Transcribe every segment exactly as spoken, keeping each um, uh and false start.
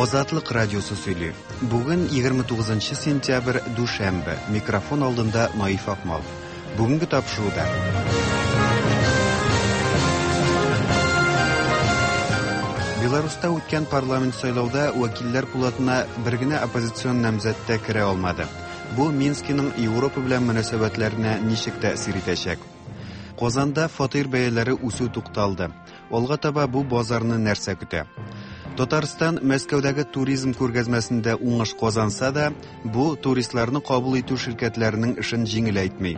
Азатлык радиосы сөйли. Бүген егерме тугызынчы сентябрь, дүшәмбе. Микрофон алдында Наиф Акмал. Бүгенге тапшыруда. Беларуста үткән парламент сайлауда вәкилләр пулатына бер генә оппозицион намзәт тә керә алмады. Бу Минскиның Европа белән мөнәсәбәтләренә ничек тәэсир итәчәк? Казанда фатир бәяләре үсү тукталды. Алга таба бу базарны нәрсә көтә? Татарстан Мәскәүдәге туризм күргәзмәсендә уңыш казанса да, бу туристларны кабул итү ширкәтләренең эшен җиңеләйтми.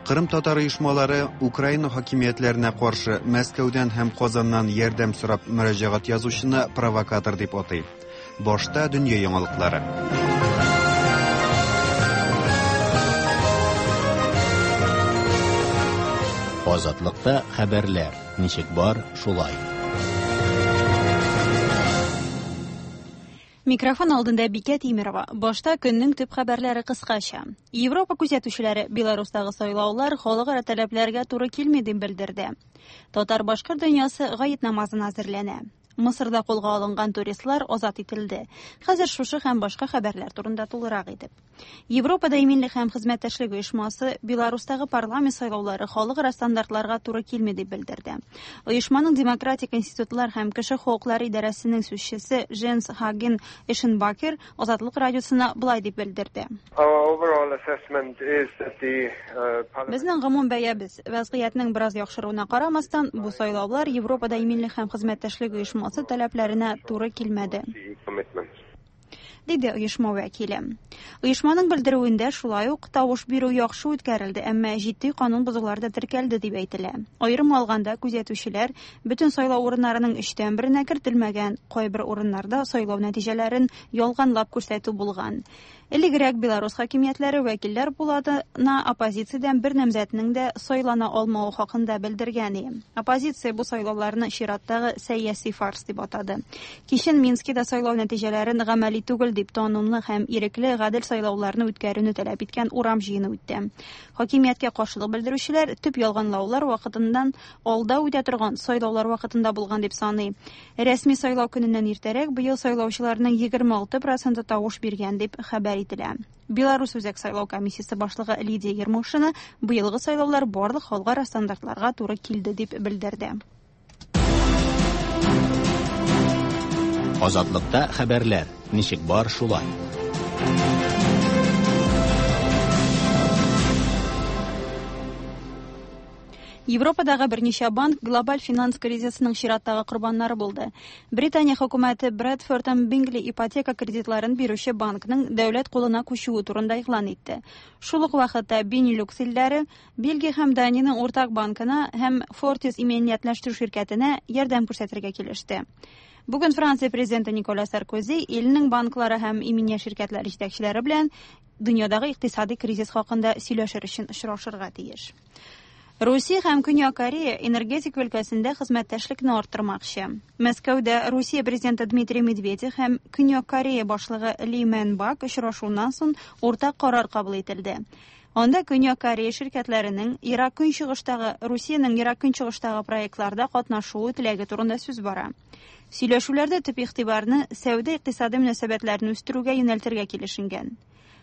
Кырым татар оешмалары Украина хакимиятләренә каршы Мәскәүдән һәм Казаннан ярдәм сорап мөрәҗәгать язучыны провокатор дип атый. Башта дөнья яңалыклары. Азатлыкта хәбәрләр ничек бар, шулай. Микрофон алдында Бикә Тимирова. Башта көннең төп хәбәрләре кыскача. Европа күзәтүчеләре Беларустагы сайлаулар халыкара таләпләргә туры килми дип белдерде. Татар-башкорт дөньясы гает намазына әзерләнә. Мысырда кулга алынган туристлар азат ителде. Хәзер шушы һәм башка хәбәрләр турында тулырак итеп. Европада иминлек һәм хезмәттәшлек оешмасы Беларустагы парламент сайлаулары халыкара стандартларга туры килми дип белдерде. Оешманың демократик институтлар һәм кеше хокуклары идарәсенең сүзчесе Дженс Хаген Эшенбакер Азатлык радиосына былай дип белдерде. Our overall assessment is that the, uh, parliament Безнең гомум бәябез вазгыятьнең бераз яхшыруына карамастан, бу сайлаулар Европада иминлек һәм хезмәттәшлек оешмасы таләпләренә туры килмәде, диде оешма вәкиле. Оешманың белдерүендә шулай ук тавыш бирү яхшы үткәрелде, әмма җитди канун бозулар да теркәлде дип әйтелә. Аерым алганда күзәтүчеләр бөтен сайлау урыннарының өчтән беренә кертелмәгән, кайбер урыннарда сайлау нәтиҗәләрен ялганлап күрсәтү булган. Элегрәк Беларус хакимиятләре вәкилләр пулатына оппозициядән бер намзәтнең дә сайлана алмавы хакында белдергән иде. Оппозиция бу сайлауларны чираттагы сәяси фарс дип атады. Кичен Минскида сайлау нәтиҗәләрен гамәли түгел дип тануны һәм ирекле гадел сайлауларны үткәрүне таләп иткән урам җыены үтте. Хакимияткә каршылык белдерүчеләр төп ялганлаулар вакытыннан алда үтә торган сайлаулар вакытында булган дип саный. Рәсми сайлау көненнән иртәрәк быел сайлаучыларның егерме алты проценты тавыш биргән дип хәбәр ителә. Беларус Үзәк сайлау комиссиясе башлыгы Лидия Ермошина быелгы сайлаулар барлык халыкара стандартларга туры килде дип белдерде. Азатлыкта хәбәрләр ничек бар, шулай. Европадагы берничә банк глобаль финанс кризисының чираттагы корбаннары булды. Британия хөкүмәте Брэдфорд һәм Бингли ипотека кредитларын бирүче банкның дәүләт кулына күчүе турында игълан итте. Шул ук вакытта Бенилюкс илләре Бельгия һәм Даниянең уртак банкына һәм Фортис иминиятләштерү ширкәтенә ярдәм күрсәтергә килеште. Бүген Франция президенты Никола Саркози илнең банклары һәм иминият ширкәтләре җитәкчеләре белән дөньядагы икътисади кризис хакында сөйләшер өчен очрашырга тиеш. Русия һәм Көньяк Корея энергетика өлкәсендә хезмәттәшлекне арттырмакчы. Мәскәүдә Русия президенты Дмитрий Медведев һәм Көньяк Корея башлыгы Ли Мэн Бак очрашуыннан соң уртак карар кабул ителде. Анда Көньяк Корея ширкәтләренең Ерак Көнчыгыштагы Русиянең Ерак Көнчыгыштагы проектларда катнашуы теләге турында сүз бара. Сөйләшүләрдә төп игътибарны сәүдә-икътисади мөнәсәбәтләрне үстерүгә юнәлтергә килешенгән.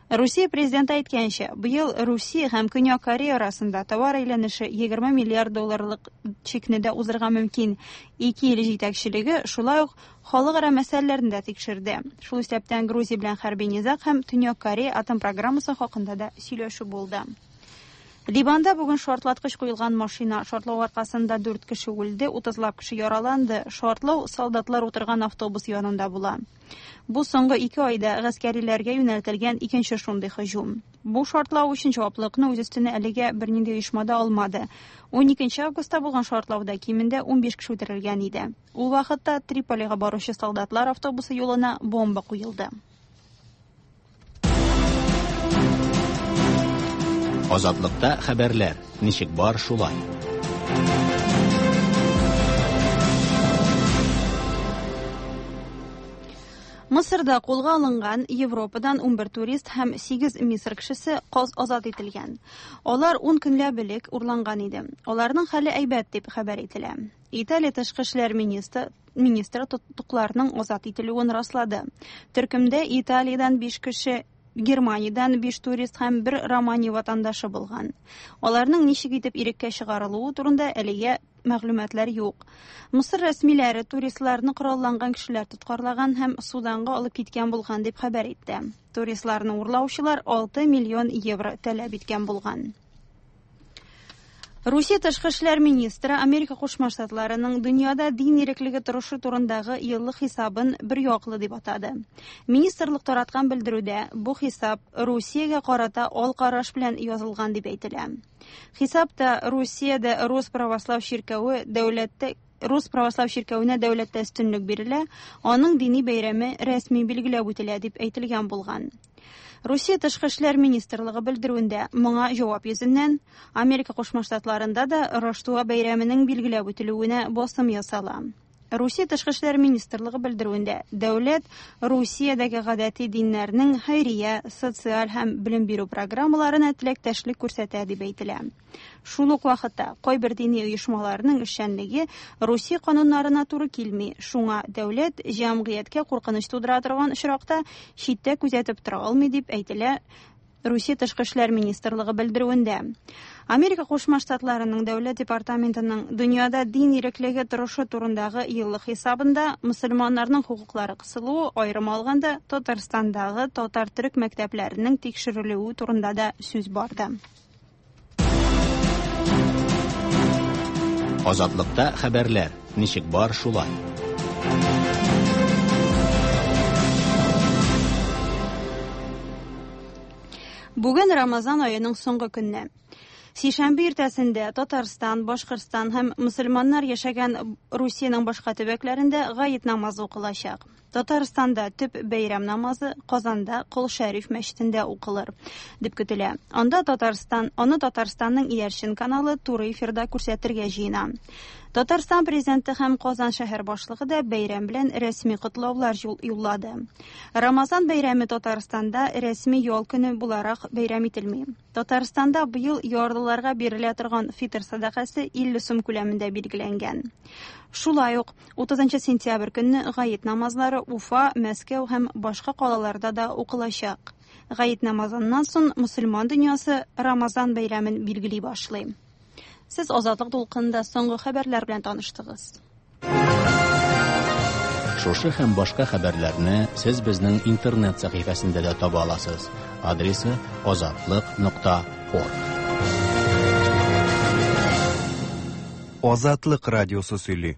Русия президенты әйткәнчә, быел Русия һәм Көньяк Корея арасында товар әйләнеше егерме миллиард долларлык чикне дә узырга мөмкин. Ике ил җитәкчелеге шулай ук халыкара мәсьәләләрне дә тикшерде. Шул исәптән Грузия белән хәрби низаг һәм Төньяк Корея атом программасы хакында да сөйләшү булды. Ливанда бүген шартлаткыч куелган машина шартлау аркасында дүрт кеше үлде, утызлап кеше яраланды. Шартлау солдатлар утырган автобус янында була. Бу соңгы ике айда гаскәриләргә юнәлтелгән икенче шундый һөҗүм. Бу шартлау өчен җаваплылыкны үз өстенә әлегә бернинди оешма да алмады. Ун икенче августта булган шартлауда кимендә ун биш кеше үтерелгән иде. Ул вакытта Триполига баручы солдатлар автобусы юлына бомба куелды. Азатлыкта хәбәрләр ничек бар, шулай. Мысырда кулга алынган Европадан ун бер турист һәм сигез Мисыр кешесе каз азат ителгән. Алар ун көнләп элек урланган иде. Аларның хәле әйбәт дип хәбәр ителә. Италия тышкы эшләр министры министры тоткыннарның азат ителүен раслады. Төркемдә Италиядән биш кеше, Германиядән биш турист һәм бер Романия ватандашы булган. Аларның ничек итеп иреккә чыгарылуы турында әлегә мәгълүматлар юк. Мисыр рәсмиләре туристларны коралланган кешеләр тоткарлаган һәм Суданга алып киткән булган дип хәбәр итте. Туристларны урлаучылар алты миллион евро таләп иткән булган. Русия тышкы эшләр министры Америка Кушма Штатларының дөньяда дин иреклеге торышы турындагы еллык хисабын бер яклы дип атады. Министрлык тараткан белдерүдә бу хисап Русиягә карата ал караш белән язылган дип әйтелә. Хисапта Русиядә Рус православ чиркәве дәүләттә Рус православ чиркәвенә дәүләттә өстенлек бирелә, аның дини бәйрәме рәсми билгеләп үтелә дип әйтелгән булган. Русия тышкы эшләр министрлыгы белдерүендә моңа җавап йөзеннән Америка Кушма Штатларында да Раштуа бәйрәменең билгеләп үтелүенә басым ясала. Русия тышкы эшләр министрлыгы белдерүендә дәүләт Русиядәге гадәти диннәрнең хәйрия, социаль һәм белем бирү программаларына теләктәшлек күрсәтә дип әйтелә. Шул ук вакытта кайбер дини оешмаларның эшчәнлеге Русия кануннарына туры килми. Шуңа дәүләт җәмгыятькә куркыныч тудыра торган очракта читтә күзәтеп тора алмый дип әйтелә Русия тышкы эшләр министрлыгы белдерүендә. Америка Кушма Штатларының дәүләт департаментының дөньяда дин иреклеге торышы турындагы еллык хисабында мөселманнарның хокуклары кысылуы, аерым алганда Татарстандагы татар төрек мәктәпләренең тикшерелүе турында да сүз барды. Азатлыкта хәбәрләр ничек бар шулай. Бүген Рамазан аеның соңгы көне. Сишәмбе иртәсендә Татарстан, Башкортстан һәм мөселманнар яшәгән Русиянең башка төбәкләрендә гает намазы укылачак. Татарстанда төп бәйрәм намазы Казанда Кол Шәриф мәчетендә укылыр дип көтелә. Анда Татарстан, аны Татарстанның иярчен каналы туры эфирда күрсәтергә җыена. Татарстан президенты һәм Казан шәһәр башлыгы да бәйрәм белән рәсми котлаулар юллады. Рамазан бәйрәме Татарстанда рәсми ял көне буларак бәйрәм ителми. Татарстанда быел ярлыларга бирелә торган фитр сәдакасы илле сум күләмендә билгеләнгән. Шулай ук утызынчы сентябрь көнне гает намазлары Уфа, Мәскәү һәм башка калаларда да укылачак. Гает намазыннан соң мөселман дөньясы Рамазан бәйрәмен билгели башлый. Сез Азатлык дулкынында соңгы хәбәрләр белән таныштыгыз. Шушы һәм башка хәбәрләрне сез безнең интернет сәхифәсендә дә таба аласыз. Адресы азатлык нокта орг. Азатлык радиосы сөйли.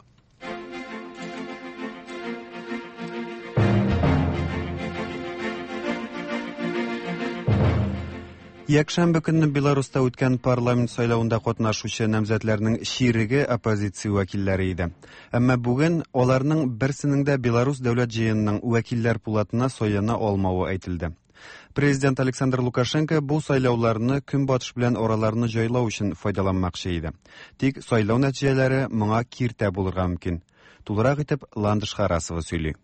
Якшәмбе көнне Беларуста үткән парламент сайлавында катнашучы намзәтләрнең чиреге оппозиция вәкилләре иде. Әмма бүген аларның берсенең дә Беларус дәүләт җыенының вәкилләр пулатына сайлана алмавы әйтелде. Президент Александр Лукашенко бу сайлауларны көнбатыш белән араларны җайлау өчен файдаланмакчы иде. Тик сайлау нәтиҗәләре моңа киртә булырга мөмкин. Тулырак итеп Ландыш Харасова сөйли.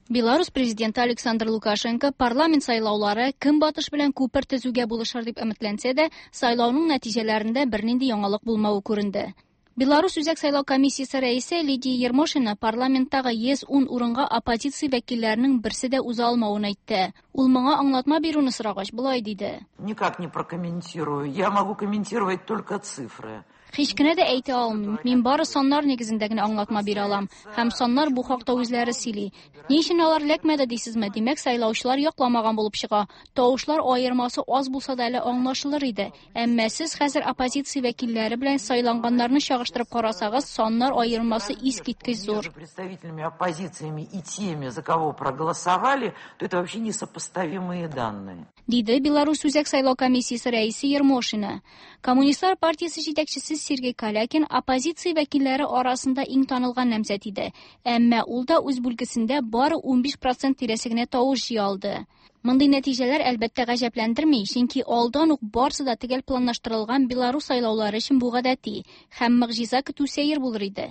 Беларус президенты Александр Лукашенко парламент сайлаулары көнбатыш белән күпер төзүгә булышыр дип өметләнсә дә, сайлауның нәтиҗәләрендә бернинди яңалык булмавы күренде. Беларус Үзәк сайлау комиссиясе рәисе Лидия Ермошина парламенттагы йөз ун урынга оппозиция вәкилләренең берсе дә уза алмавын әйтте. Ул моңа аңлатма бирүне сорагач болай диде. Никак не прокомментирую. Я могу комментировать только цифры. Һич кенә дә әйтә алмыйм. Мин бары саннар нигезендә генә аңлатма бирә алам. Һәм саннар бу хакта үзләре сөйли. Ни өчен алар эләкмәде дисезме? Димәк, сайлаучылар якламаган булып чыга. Тавышлар аермасы аз булса да әле аңлашылыр иде. Әмма сез хәзер оппозиция вәкилләре белән сайланганнарны чагыштырып карасагыз, саннар аермасы искиткеч зур. Представителями оппозициями и теми, за кого проголосовали, то это вообще несопоставимые данные. Диде Беларусь Үзәк сайлау комиссиясе рәисе Ермошина. Коммунистлар партиясе җитәкчесе Сергей Калякин оппозиция вәкилләре арасында иң танылган намзәт иде. Әмма ул да үз бүлгесендә бары унбиш процент тирәсе генә тавыш җыя алды. Мондый нәтиҗәләр әлбәттә гаҗәпләндерми, чөнки алдан ук барсы да төгәл планлаштырылган Беларус сайлаулары өчен бу гадәти һәм могҗиза көтү сәер булыр иде.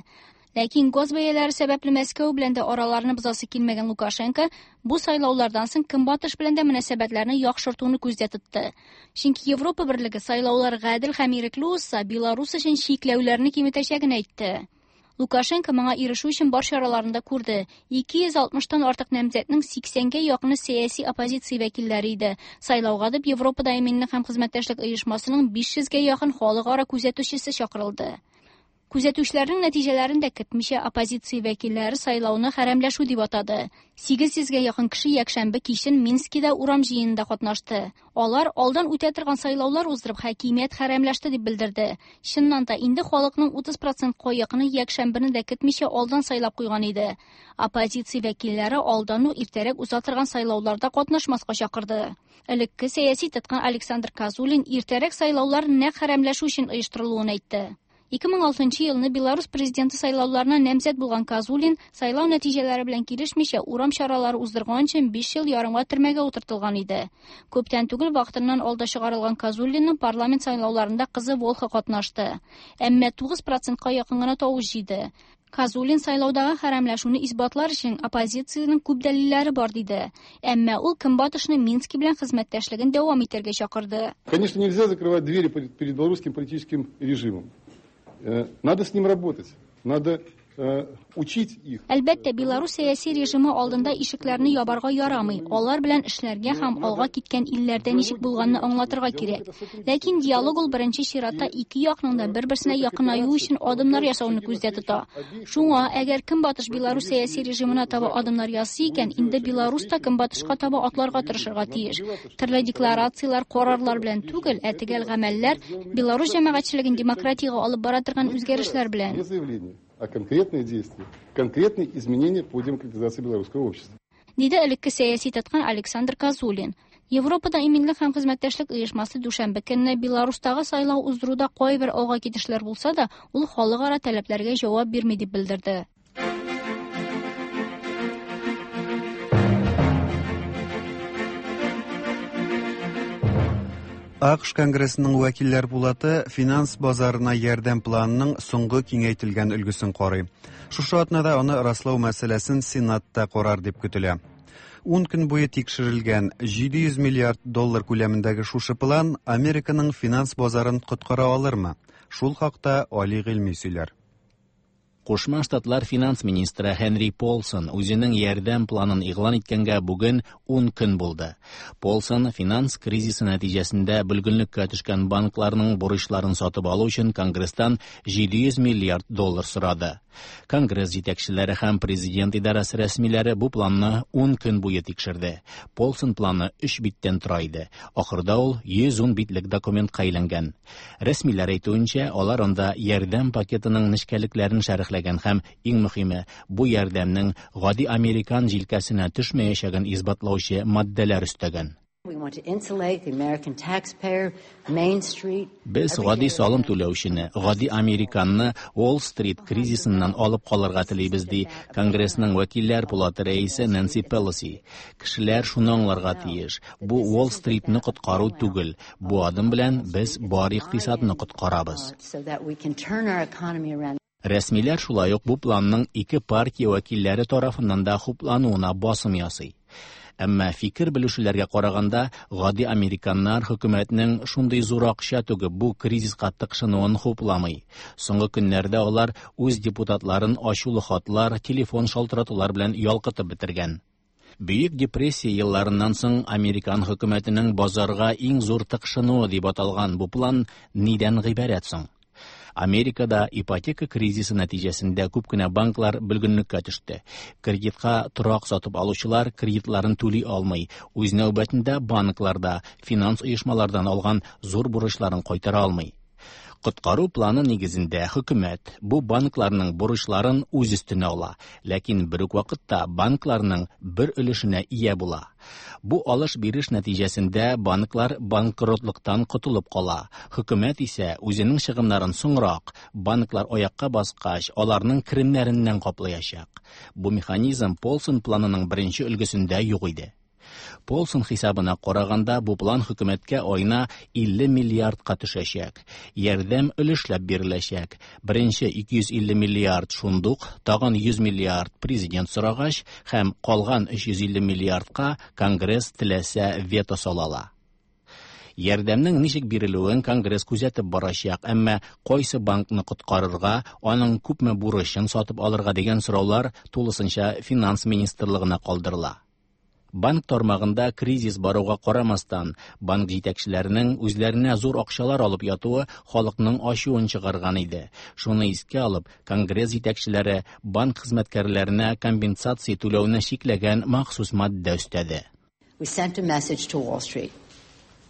Ләкин газ бәяләре сәбәпле Мәскәү белән дә араларны бозасы килмәгән Лукашенко бу сайлаулардан соң Көнбатыш белән дә мөнәсәбәтләрне яхшыртуны күздә тотты. Чөнки Европа берлеге сайлаулар гадел һәм ирекле узса, Беларус өчен чикләүләрне киметәчәген әйтте. Лукашенко моңа ирешү өчен бар чараларын да күрде. ике йөз алтмыштан артык намзәтнең сиксәнгә якыны сәяси оппозиция вәкилләре иде. Сайлауга дип Европада иминлек һәм хезмәттәшлек оешмасының биш йөзгә якын халыкара күзәтүчесе чакырылды. Күзәтүчеләрнең нәтиҗәләрен дә көтмичә оппозиция вәкилләре сайлауны хәрәмләшү дип атады. Сигез йөзгә якын кеше якшәмбе кичен Минскида урам җыенында катнашты. Алар алдан үтә торган сайлаулар уздырып хакимият хәрәмләште дип белдерде. Чыннан да инде халыкның утыз процентка якыны якшәмбене дә көтмичә алдан сайлап куйган иде. Оппозиция вәкилләре алдан ук иртәрәк уза торган сайлауларда катнашмаска чакырды. Элекке сәяси тоткын Александр Козулин иртәрәк сайлаулар нәкъ хәрәмләшү өчен оештырылуын әйтте. Ике мең алтынчы елны Беларус президенты сайлауларына намзәт булган Козулин сайлау нәтиҗәләре белән килешмичә урам чаралары уздырган өчен биш ел ярымга төрмәгә утыртылган иде. Күптән түгел вакытыннан алда чыгарылган Козулинның парламент сайлауларында кызы Волха катнашты. Әмма тугыз процентка якын гына тавыш җыйды. Козулин сайлаудагы хәрәмләшүне исбатлар өчен оппозициянең күп дәлилләре бар диде. Әмма ул Көнбатышны Мински белән хезмәттәшлеген дәвам итәргә чакырды. Конечно, нельзя закрывать двери перед белорусским политическим режимом. Надо с ним работать, надо учить их. Әлбәттә, Беларус сәяси режимы алдында ишекләрне ябарга ярамый. Алар белән эшләргә һәм алга киткән илләрдә ничек булганны аңлатырга кирәк. Ләкин диалог ул беренче чиратта ике якның да бер-берсенә якынаю өчен адымнар ясауны күздә тота. Шуңа, әгәр Көнбатыш Беларус сәяси режимына таба адымнар ясый икән, инде Беларус та Көнбатышка таба атларга тырышырга тиеш. Төрле декларацияләр, карарлар белән түгел, ә төгәл гамәлләр Беларус җәмәгатьчелеген демократиягә алып бара торган үзгәрешләр белән. А конкретные действия, конкретные изменения по демократизации белорусского общества. Диде элекке сәяси тоткын Александр Козулин. Европада иминлек һәм хезмәттәшлек оешмасы дүшәмбе көнне Беларустагы сайлау уздыруда кайбер алга китешләр булса да, ул халыкара таләпләргә җавап бирми дип белдерде. АКШ Конгрессының вәкилләр пулаты финанс базарына ярдәм планының соңгы киңәйтелгән өлгесен карый. Шушы атнада аны раслау мәсьәләсен Сенатта карар дип көтелә. Ун көн буе тикшерелгән җиде йөз миллиард доллар күләмендәге шушы план Американың финанс базарын коткара алырмы? Шул хакта Али Гыйльми сөйләр. Кушма Штатлар финанс министры Хенри Полсон үзенең ярдәм планын игълан иткәнгә бүген ун көн булды. Полсон финанс кризисы нәтиҗәсендә бөлгенлеккә төшкән банкларның бурычларын сатып алу өчен Конгресстан җиде йөз миллиард доллар сорады. Конгресс җитәкчеләре һәм президент идарәсе рәсмиләре бу планны ун көн буе тикшерде. Полсон планы өч биттән тора иде. Ахырда ул йөз ун битлек документка әйләнгән. Рәсмиләр әйтүенчә, алар анда ярдәм пакетының нечкәлекләрен шәрехләгән һәм иң мөһиме, бу ярдәмнең гади американ җилкәсенә төшмәячәген исбатлаучы маддәләр өстәгән. Без гади салым түләүчене, гади американны Уолл-стрит кризисыннан алып калырга телибез, ди Конгрессның вәкилләр пулаты рәисе Нэнси Пелоси. Кешеләр шуны аңларга тиеш. Бу Уолл-стритны коткару түгел. Бу адым белән без бар икътисадны коткарабыз. Рәсмиләр шулай ук бу планның ике партия вәкилләре тарафыннан да хуплануына басым ясый. Әмма фикер белүчеләргә караганда, гади американнар хөкүмәтнең шундый зур акча түгеп бу кризиска тыкшынуын хупламый. Соңгы көннәрдә алар үз депутатларын ачулы хатлар, телефон шалтыратулар белән ялкытып бетергән. Бөек депрессия елларыннан соң американ хөкүмәтенең базарга иң зур тыкшынуы дип аталган бу план нидән гыйбарәт соң? Америкада ипотека кризисы нәтиҗәсендә күп кенә банклар бөлгенлеккә төште. Кредитка торак сатып алучылар кредитларын түли алмый. Үз нәүбәтендә банкларда финанс оешмалардан алган зур бурычларын кайтара алмый. Коткару планы нигезендә хөкүмәт бу банкларның бурычларын үз өстенә ала, ләкин бер үк вакытта банкларның бер өлешенә ия була. Бу алыш-биреш нәтиҗәсендә банклар банкротлыктан котылып кала. Хөкүмәт исә үзенең чыгымнарын соңрак, банклар аякка баскач, аларның керемнәреннән каплаячак. Бу механизм Полсон планының беренче өлгесендә юк иде. Полсон хисабына караганда, бу план хөкүмәткә аена илле миллиардка төшәчәк. Ярдәм өлешләп биреләчәк. Беренче ике йөз илле миллиард шундук, тагын йөз миллиард президент сорагач һәм калган өч йөз илле миллиардка Конгресс теләсә вето сала ала. Ярдәмнең ничек бирелүен Конгресс күзәтеп барачак, әмма кайсы банкны коткарырга, аның күпме бурычын сатып алырга дигән сораулар тулысынча финанс министрлыгына калдырыла. Банк тармагында кризис баруга карамастан, банк җитәкчеләренең үзләренә зур акчалар алып ятуы халыкның ачуын чыгарган иде. Шуны искә алып, Конгресс җитәкчеләре банк хезмәткәрләренә компенсация түләүне чикләгән махсус маддә өстәде. We sent a message to Wall Street.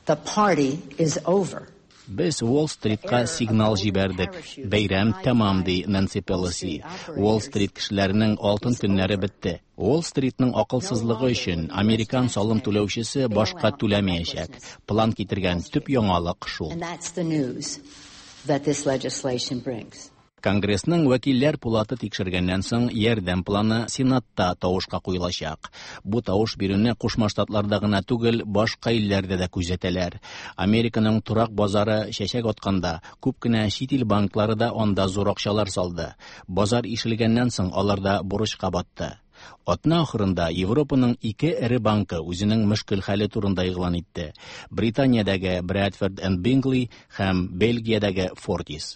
The party is over. Без Уолл-стритка сигнал җибәрдек. Бәйрәм тәмам, ди Нэнси Пелоси. Уолл-стрит кешеләренең алтын көннәре бетте. Уолл-стритның акылсызлыгы өчен американ салым түләүчесе башка түләмәячәк. План китергән төп яңалык шул. And that's the news that this legislation brings. Конгрессның вәкилләр пулаты тикшергәннән соң ярдәм планы Сенатта тавышка куелачак. Бу тавыш бирүне Кушма Штатларда гына түгел, башка илләрдә дә күзәтәләр. Американың торак базары чәчәк атканда, күп кенә чит ил банклары да анда зур акчалар салды. Базар ишелгәннән соң алар да бурычка батты. Атна ахырында Европаның ике эре банкы үзенең мөшкел хәле турында игълан итте. Британиядәге Bradford and Bingley һәм Бельгиядәге Fortis.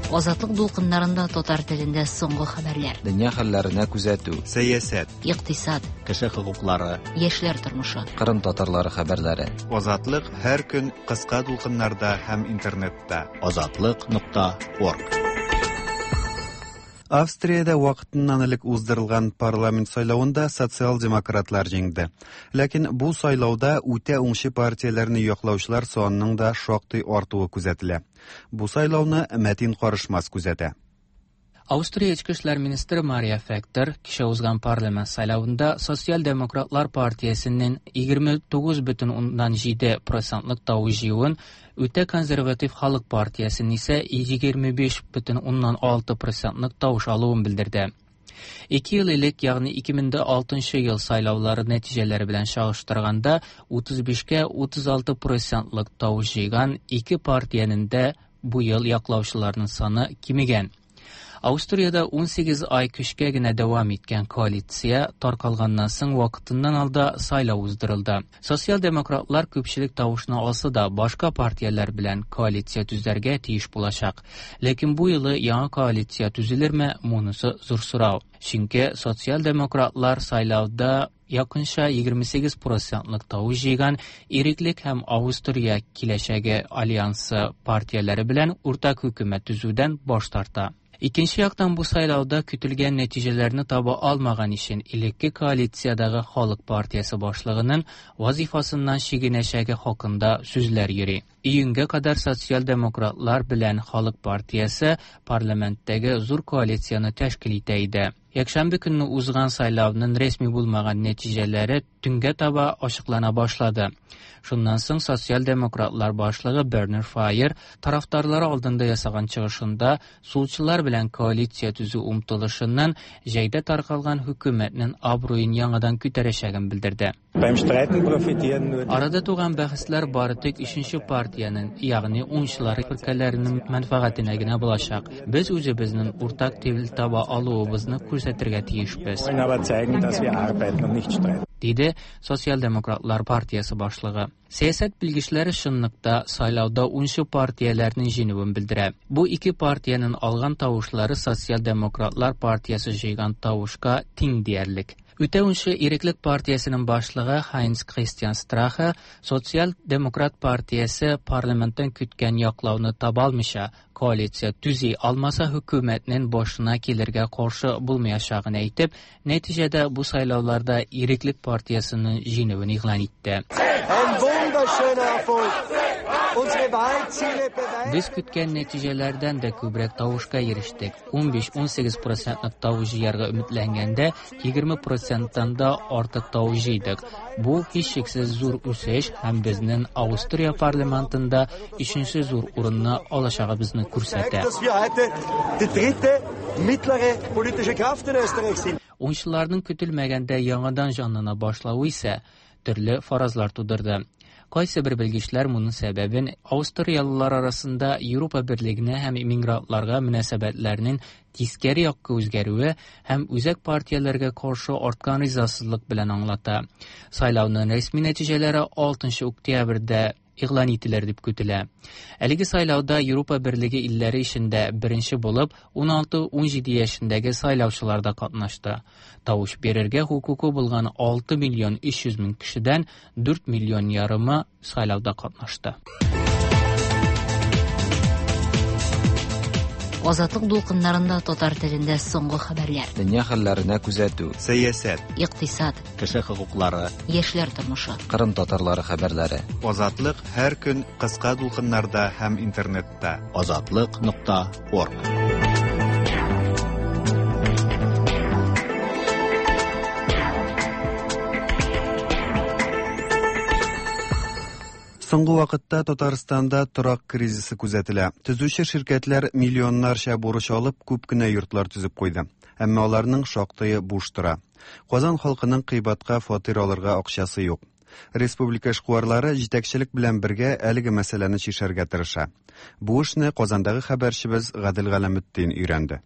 Азатлык дулкыннарында татар телендә соңгы хәбәрләр. Дөнья хәлләренә күзәтү. Сәясәт. Икътисад. Кеше хокуклары. Яшьләр тормышы. Кырым татарлары хәбәрләре. Азатлык һәр көн кыска дулкыннарда һәм интернетта. Азатлык нокта орг. Австриядә вакытыннан элек уздырылган парламент сайлавында социал-демократлар җиңде. Ләкин бу сайлауда үтә уңчы партияләрне яклаучылар санының да шактый артуы күзәтелә. Бу сайлауны Мәтин Карышмас күзәтә. Австрия Эчке эшләр министры Мария Фектор кичә узган парламент сайлавында Социал-демократлар партиясенең егерме тугыз бөтен уннан җиде процентлык тавыш җыюын, үтә консерватив халык партиясенең исә егерме биш бөтен уннан алты процентлык тавыш алуын белдерде. Ике ел элек, ягъни ике мең дә алтынчы ел сайлаулары нәтиҗәләре белән чагыштырганда, утыз бишкә утыз алты процентлык тавыш җыйган ике партиянең дә бу ел яклаучыларының саны кимегән. Австриядә ун сигез ай көчкә генә дәвам иткән коалиция таркалганнан соң вакытыннан алда сайлау уздырылды. Социал-демократлар күпчелек тавышны алса да, башка партияләр белән коалиция төзәргә тиеш булачак. Ләкин бу юлы яңа коалиция төзелерме, монысы зур сорау. Чөнки социал-демократлар сайлауда якынча егерме сигез процентлык тавыш җыйган Иреклек һәм Австрия киләчәге альянсы партияләре белән уртак хөкүмәт төзүдән баш тарта. Икенче яктан бу сайлауда көтелгән нәтиҗәләрне таба алмаган өчен элекке коалициядәге Халык партиясе башлыгының вазифасыннан чигенәчәге хакында сүзләр йөри. Июньгә кадәр социал-демократлар белән Халык партиясе парламенттәге зур коалицияне тәшкил итә иде. Якшәмбе көнне узган сайлауның рәсми булмаган нәтиҗәләре төнгә таба ачыклана башлады. Шуннан соң социал-демократлар башлыгы Бернер Файер тарафдарлары алдында ясаган чыгышында сулчылар белән коалиция төзү омтылышыннан җәйдә таркалган хөкүмәтнең абруен яңадан күтәрәчәген белдерде. Арада туган бәхәсләр бары тик өченче партиянең, ягъни уңчылар фиркәләренең мәнфәгатенә генә булачак. Без үзебезнең уртак тел таба алуыбызны күрсәтергә тиешбез, диде Социал-демократлар партиясе башлыгы. Сәясәт белгечләре чынлыкта сайлауда унчы партияләрнең җиңүен белдерә. Бу ике партиянең алган тавышлары Социал-демократлар партиясе җыйган тавышка тиң диярлек. Үтә унчы Иреклек партиясенең башлыгы Хайнц Кристиан Страхе Социал-демократ партиясе парламенттан көткән яклауны таба алмыйча коалиция төзи алмаса хөкүмәтнең башына килергә каршы булмаячагын әйтеп, нәтиҗәдә бу сайлауларда Иреклек партиясенең җиңүен игълан итте. Без көткән нәтиҗәләрдән дә күбрәк тавышка ирештек. ун биш-ун сигез процентлык тавыш җыярга өметләнгәндә, егерме проценттан да артык тавыш җыйдык. Бу һичшиксез зур үсеш һәм безнең Австрия парламентында өченче зур урынны алачагыбызны күрсәтә. Уенчыларның көтелмәгәндә яңадан җанлана башлавы исә төрле фаразлар тудырды. Кайсы бер белгечләр моның сәбәбен австриялылар арасында Европа берлегенә һәм иммигрантларга мөнәсәбәтләрнең тискәре якка үзгәрүе һәм үзәк партияләргә каршы арткан ризасызлык белән аңлата. Сайлауның рәсми нәтиҗәләре алтынчы октябрьдә игълан ителер дип көтелә. Әлеге сайлауда Европа берлеге илләре эчендә беренче булып ун алты-ун җиде яшендәге сайлаучылар да катнашты. Тавыш бирергә хокукы булган алты миллион өч йөз мең кешедән дүрт миллион ярымы сайлауда катнашты. Азатлык дулкыннарында татар телендә соңгы хәбәрләр. Дөнья хәлләренә күзәтү. Сәясәт, икътисад, кеше хокуклары, яшьләр тормышы. Кырым татарлары хәбәрләре. Азатлык һәр көн кыска дулкыннарда һәм интернетта. Азатлык нокта орг. Соңгы вакытта Татарстанда торак кризисы күзәтелә. Төзүче ширкәтләр миллионнарча бурыч алып, күп кенә йортлар төзеп куйды. Әмма аларның шактые буш тора. Казан халкының кыйбатка фатир алырга акчасы юк. Республика эшкуарлары җитәкчелек белән бергә әлеге мәсьәләне чишәргә тырыша. Бу эшне Казандагы хәбәрчебез Гадел Галәметдин өйрәнде.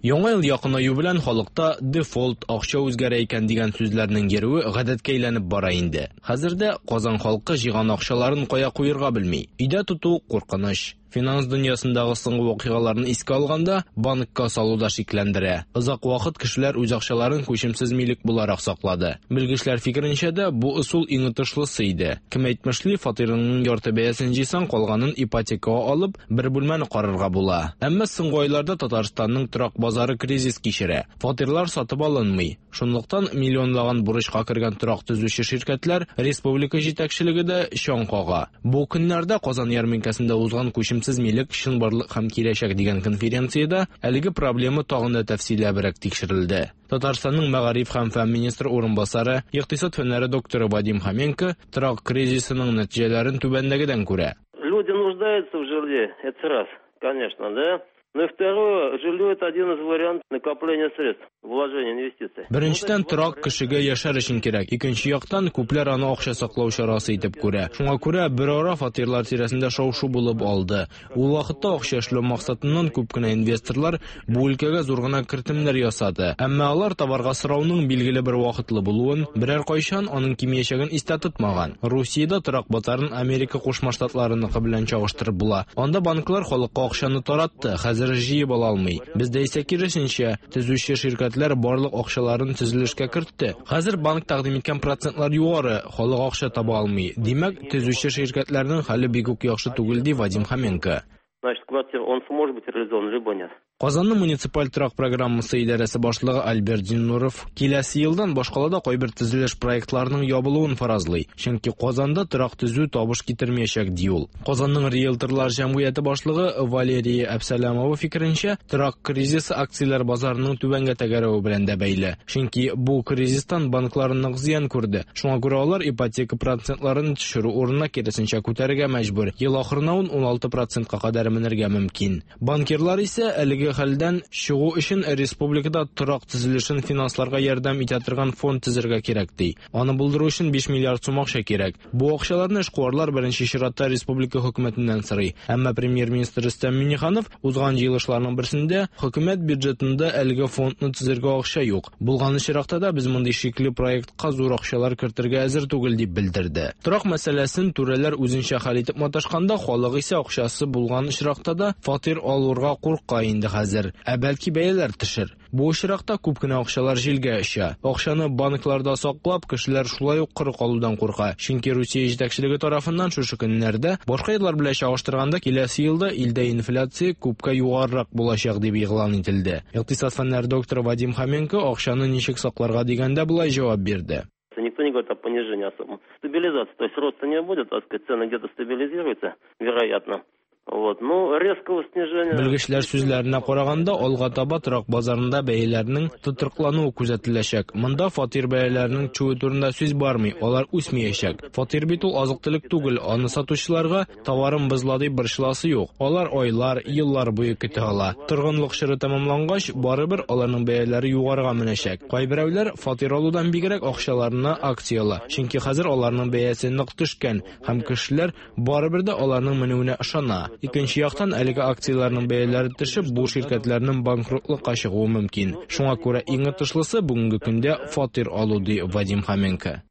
Яңа ел якынаю белән халыкта дефолт, акча үзгәрә икән дигән сүзләрнең йөрүе гадәткә әйләнеп бара инде. Хәзердә Казан халкы җыйган акчаларын кая куярга белми. Өйдә тоту куркыныч. Финанс дөньясындагы соңгы вакыйгаларны искә алганда, банкка салу да шикләндерә. Озак вакыт кешеләр үз акчаларын күчемсез милек буларак саклады. Белгечләр фикеренчә дә бу ысул иң отышлысы иде. Кем әйтмешли, фатирының ярты бәясен җыйсаң, калганын ипотекага алып, бер бүлмәне карарга була. Әмма соңгы айларда Татарстанның торак базары кризис кичерә. Фатирлар сатып алынмый. Шунлыктан миллионлаган бурычка кергән торак төзүче ширкәтләр республика җитәкчелеге дә чаң кага. Бу көннәрдә Казан ярминкәсендә узган күчемсез милек, чынбарлык һәм киләчәк дигән конференциядә әлеге проблема тагын да тәфсилләбрәк тикшерелде. Татарстанның мәгариф һәм фән министры урынбасары, икътисад фәннәре докторы Вадим Хоменко торак кризисының нәтиҗәләрен түбәндәгедән күрә. Люди нуждаются в жилье, это раз, конечно, да? Ну и второе, жилье это один из вариантов накопления средств, вложения инвестиций. Беренчедән, торак кешегә яшәр өчен кирәк. Икенче яктан, күпләр аны акча саклау чарасы итеп күрә. Шуңа күрә бер ара фатирлар тирәсендә шау-шу булып алды. Ул вакытта акча эшләү максатыннан күп кенә инвесторлар бу өлкәгә зур гына кертемнәр ясады. Әмма алар товарга сорауның билгеле бер вакытлы булуын, берәр кайчан аның кимиячәген истә тотмаган. Русиядә торак базарын Америка Кушма Штатларыныкы белән чагыштырып була. Анда банклар халыкка акчаны таратты. Хәзер җыеп ала алмый. Бездә исә киресенчә, төзүче ширкәтләр барлык акчаларын төзелешкә кертте. Хәзер банк тәкъдим иткән процентлар югары, халык акча таба алмый. Димәк, төзүче ширкәтләрнең хәле бик үк яхшы түгел, ди Вадим Хоменко. Значит, квартира, он сможет быть реализован, либо нет. Казанның муниципаль торак программасы идарәсе башлыгы Альберт Зиннуров киләсе елдан башкалада кайбер төзелеш проектларының ябылуын фаразлый. Чөнки Казанда торак төзү табыш китермәячәк, ди ул. Казанның риэлторлар җәмгыяте башлыгы Валерия Әбсәләмова фикеренчә, торак кризисы акцияләр базарының түбәнгә тәгәрәве белән дә бәйле. Чөнки бу кризистан банклар нык зыян күрде. Шуңа күрә алар ипотека процентларын төшерү урынына киресенчә күтәрергә мәҗбүр. Ел ахырына ун алты процентка кадәр менергә мөмкин. Банкирлар исә әлеге хәлдән чыгу өчен республикада торак төзелешен финансларга ярдәм итә торган фонд төзергә кирәк, ди. Аны булдыру өчен биш миллиард сум акча кирәк. Бу акчаларны эшкуарлар беренче чиратта республика хөкүмәтеннән сорый. Әмма премьер-министр Рөстәм Миңнеханов узган җыелышларның берсендә хөкүмәт бюджетында әлеге фондны төзергә акча юк. Булган очракта да без мондый шикле проектка зур акчалар кертергә әзер түгел, дип белдерде. Торак мәсьәләсен түрәләр үзенчә хәл итеп маташканда, халык исә акчасы булган очракта да фатир алырга курка инде хәзер. Ә бәлки бәяләр төшер. Бу очракта күп кенә акчалар җилгә оча. Акчаны банкларда саклап, кешеләр шулай ук коры калудан курка. Чөнки Русия җитәкчелеге тарафыннан шушы көннәрдә башка еллар белән чагыштырганда киләсе елда илдә инфляция күпкә югарырак булачак дип игълан ителде. Икътисад фәннәре докторы Вадим Хоменко акчаны ничек сакларга дигәндә болай җавап бирде. Никто не говорит о понижении особом. Стабилизация, то есть роста не будет, так сказать, цены где-то стабилизируются, вероятно. Вот, ну, резкого снижения... Белгечләр сүзләренә караганда, алга таба торак базарында бәяләрнең тотрыклануы күзәтеләчәк. Монда фатир бәяләренең төшүе турында сүз бармый, алар үсмәячәк. Фатир бит ул азык-төлек түгел, аны сатучыларга товарым бозыла дип борчыласы юк. Алар айлар, еллар буе көтә ала. Торгынлык чоры тәмамлангач, барыбер аларның бәяләре югарыга менәчәк. Кайберәүләр фатир алудан бигрәк акчаларына акция ала, чөнки хәзер аларның бәясе нык төшкән һәм кешеләр барыбер дә аларның менүенә ышана. Икенче яктан, әлеге акцияләрнең бәяләре төшеп, бу ширкәтләрнең банкротлыкка чыгуы мөмкин. Шуңа күрә иң отышлысы бүгенге көндә фатир алу, ди Вадим Хоменко.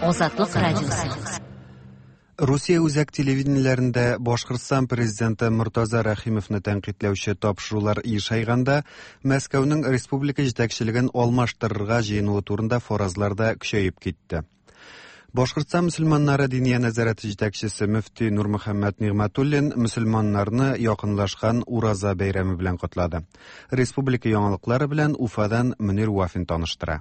Азатлык радиосы. Русия үзәк телевидениеләрендә Башкортстан президенты Мортаза Рәхимовны тәнкыйтьләүче тапшырулар ешайганда, Мәскәүнең республика җитәкчелеген алмаштырырга җыенуы турында фаразлар да көчәеп китте. Башкортстан мөселманнары диния нәзарәте җитәкчесе мөфти Нурмөхәммәт Нигъмәтуллин мөселманнарны якынлашкан Ураза бәйрәме белән котлады. Республика яңалыклары белән Уфадан Мөнир Вафин таныштыра.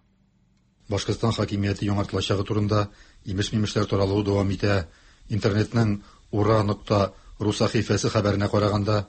Башкортстан хакимияте яңартылачагы турында имеш-мимешләр таралуы дәвам итә. Интернетның ура нокта ру сәхифәсе хәбәренә караганда,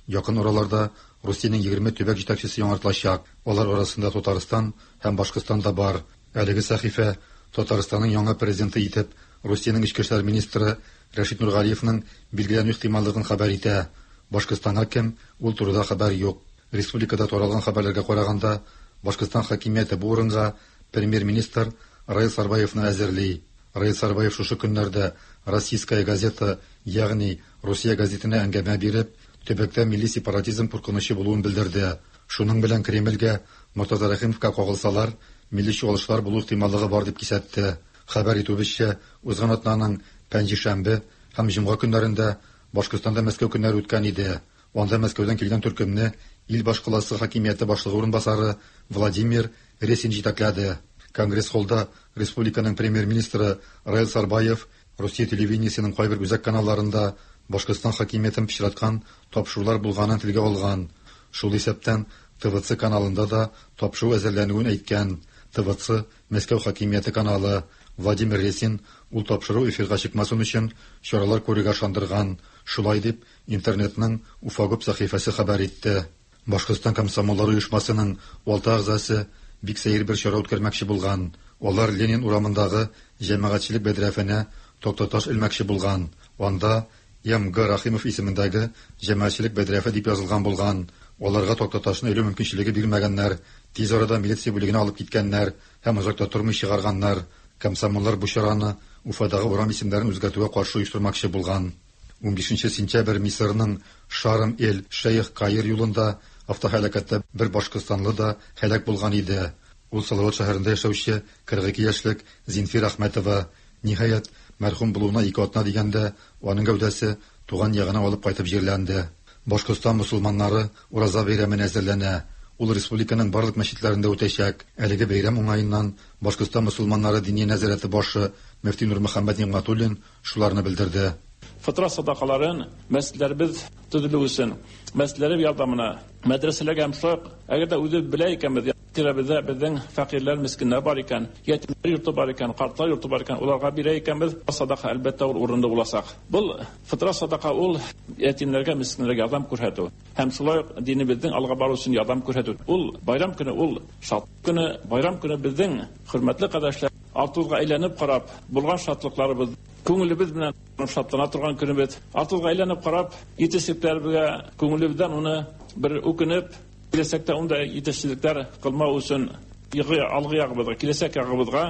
якын араларда Русиянең егерме төбәк җитәкчесе яңартылачак. Алар арасында Татарстан һәм Башкортстан да бар. Әлеге сәхифә Татарстанның яңа президенты итеп Русиянең эчке эшләр министры Рәшит Нургалиевның билгеләнү ихтималлыгын хәбәр итә. Башкортстанга кем, ул турыда хәбәр юк. Республикада таралган хәбәрләргә караганда, Башкортстан хакимияте бу урынга премьер-министр Раил Сарбаевны әзерли. Раил Сарбаев шушы көннәрдә Российская газета, ягъни Русия газетына әңгәмә биреп, төбәктә милли сепаратизм куркынычы булуын белдерде. Шуның белән Кремльгә Мортаза Рәхимовка кагылсалар, милли чуалышлар булу ихтималлыгы бар дип кисәтте. Хәбәр итүебезчә, узган атнаның пәнҗешәмбе һәм җомга көннәрендә Башкортстанда Мәскәү көннәре үткән иде. Анда Мәскәүдән килгән төркемне ил башкаласы хакимияте башлыгы урынбасары Владимир Ресин җитәкләде. Конгресс-холлда республиканың премьер-министры Раил Сарбаев Русия телевидениесенең кайбер үзәк каналларында Башкортстан хакимиятен пычраткан тапшырулар булганын телгә алган. Шул исәптән Т В Ц каналында да тапшыру әзерләнүен әйткән. Т В Ц Мәскәү хакимияте каналы. Владимир Ресин ул тапшыру эфирга чыкмасын өчен чаралар күрергә ышандырган. Шулай дип интернетның Уфагуб сәхифәсе хәбәр итте. Башкортстан комсомоллары оешмасының алты әгъзасы бик сәер бер чара үткәрмәкче булган. Алар Ленин урамындагы җәмәгатьчелек бәдрәфенә тактаташ элмәкче булган. Анда М Г Рахимов исемендәге җәмәгатьчелек бәдрәфе дип язылган булган. Аларга тактаташны элү мөмкинчелеге бирмәгәннәр. Тиз арада милиция бүлегенә алып киткәннәр һәм озак та тормый чыгарганнар. Комсомоллар бу чараны Уфадагы урам исемнәрен үзгәртүгә каршы оештырмакчы булган. Унбишенче сентябрь Мисырның Шарм-эль-Шейх Каир юлында автоһәлакәттә бер башкортстанлы да һәлак булган иде. Ул Салават шәһәрендә яшәүче кырык ике яшьлек Зинфир Әхмәтова. Ниһаять, мәрхүм булуына ике атна дигәндә, аның гәүдәсе туган ягына алып кайтып җирләнде. Башкортстан мусулманнары Ураза бәйрәменә әзерләнә. Ул республиканың барлык мәчетләрендә үтәчәк. Әлеге бәйрәм уңаеннан Башкортстан мусулманнары диния нәзарәте башы мөфти Нурмөхәммәт Нигъмәтуллин шуларны белдерде. Фытра садакаларын мәсҗидләребез төзелү өчен, мәсҗидләр ярдәменә, мәдрәсәләргә һәм шулай ук, әгәр дә үзе белә икән, тирәбездә безнең фәкыйрьләр, мискиннәр бар икән, ятимнәр йорты бар икән, картлар йорты бар икән, уларга бирә икәнбез, садака әлбәттә ул урында булачак. Бу фытра садака ул ятимнәргә, мискиннәргә ярдәм күрсәтү һәм шулай ук динебезнең алга бару өчен ярдәм күрсәтү. Ул байрам көне, ул шатлык көне, байрам көне безнең хөрмәтле кардәшләр, артыбызга әйләнеп карап, булган шатлыкларыбыз, күңелебез белән шатлана торган көнебез. Артыбызга әйләнеп карап, җитешсезлекләребезгә күңелебездән уны бер үкенеп, киләчәктә унда җитешсезлекләр кылмау өчен алгы ягыбызга, киләчәк ягыбызга,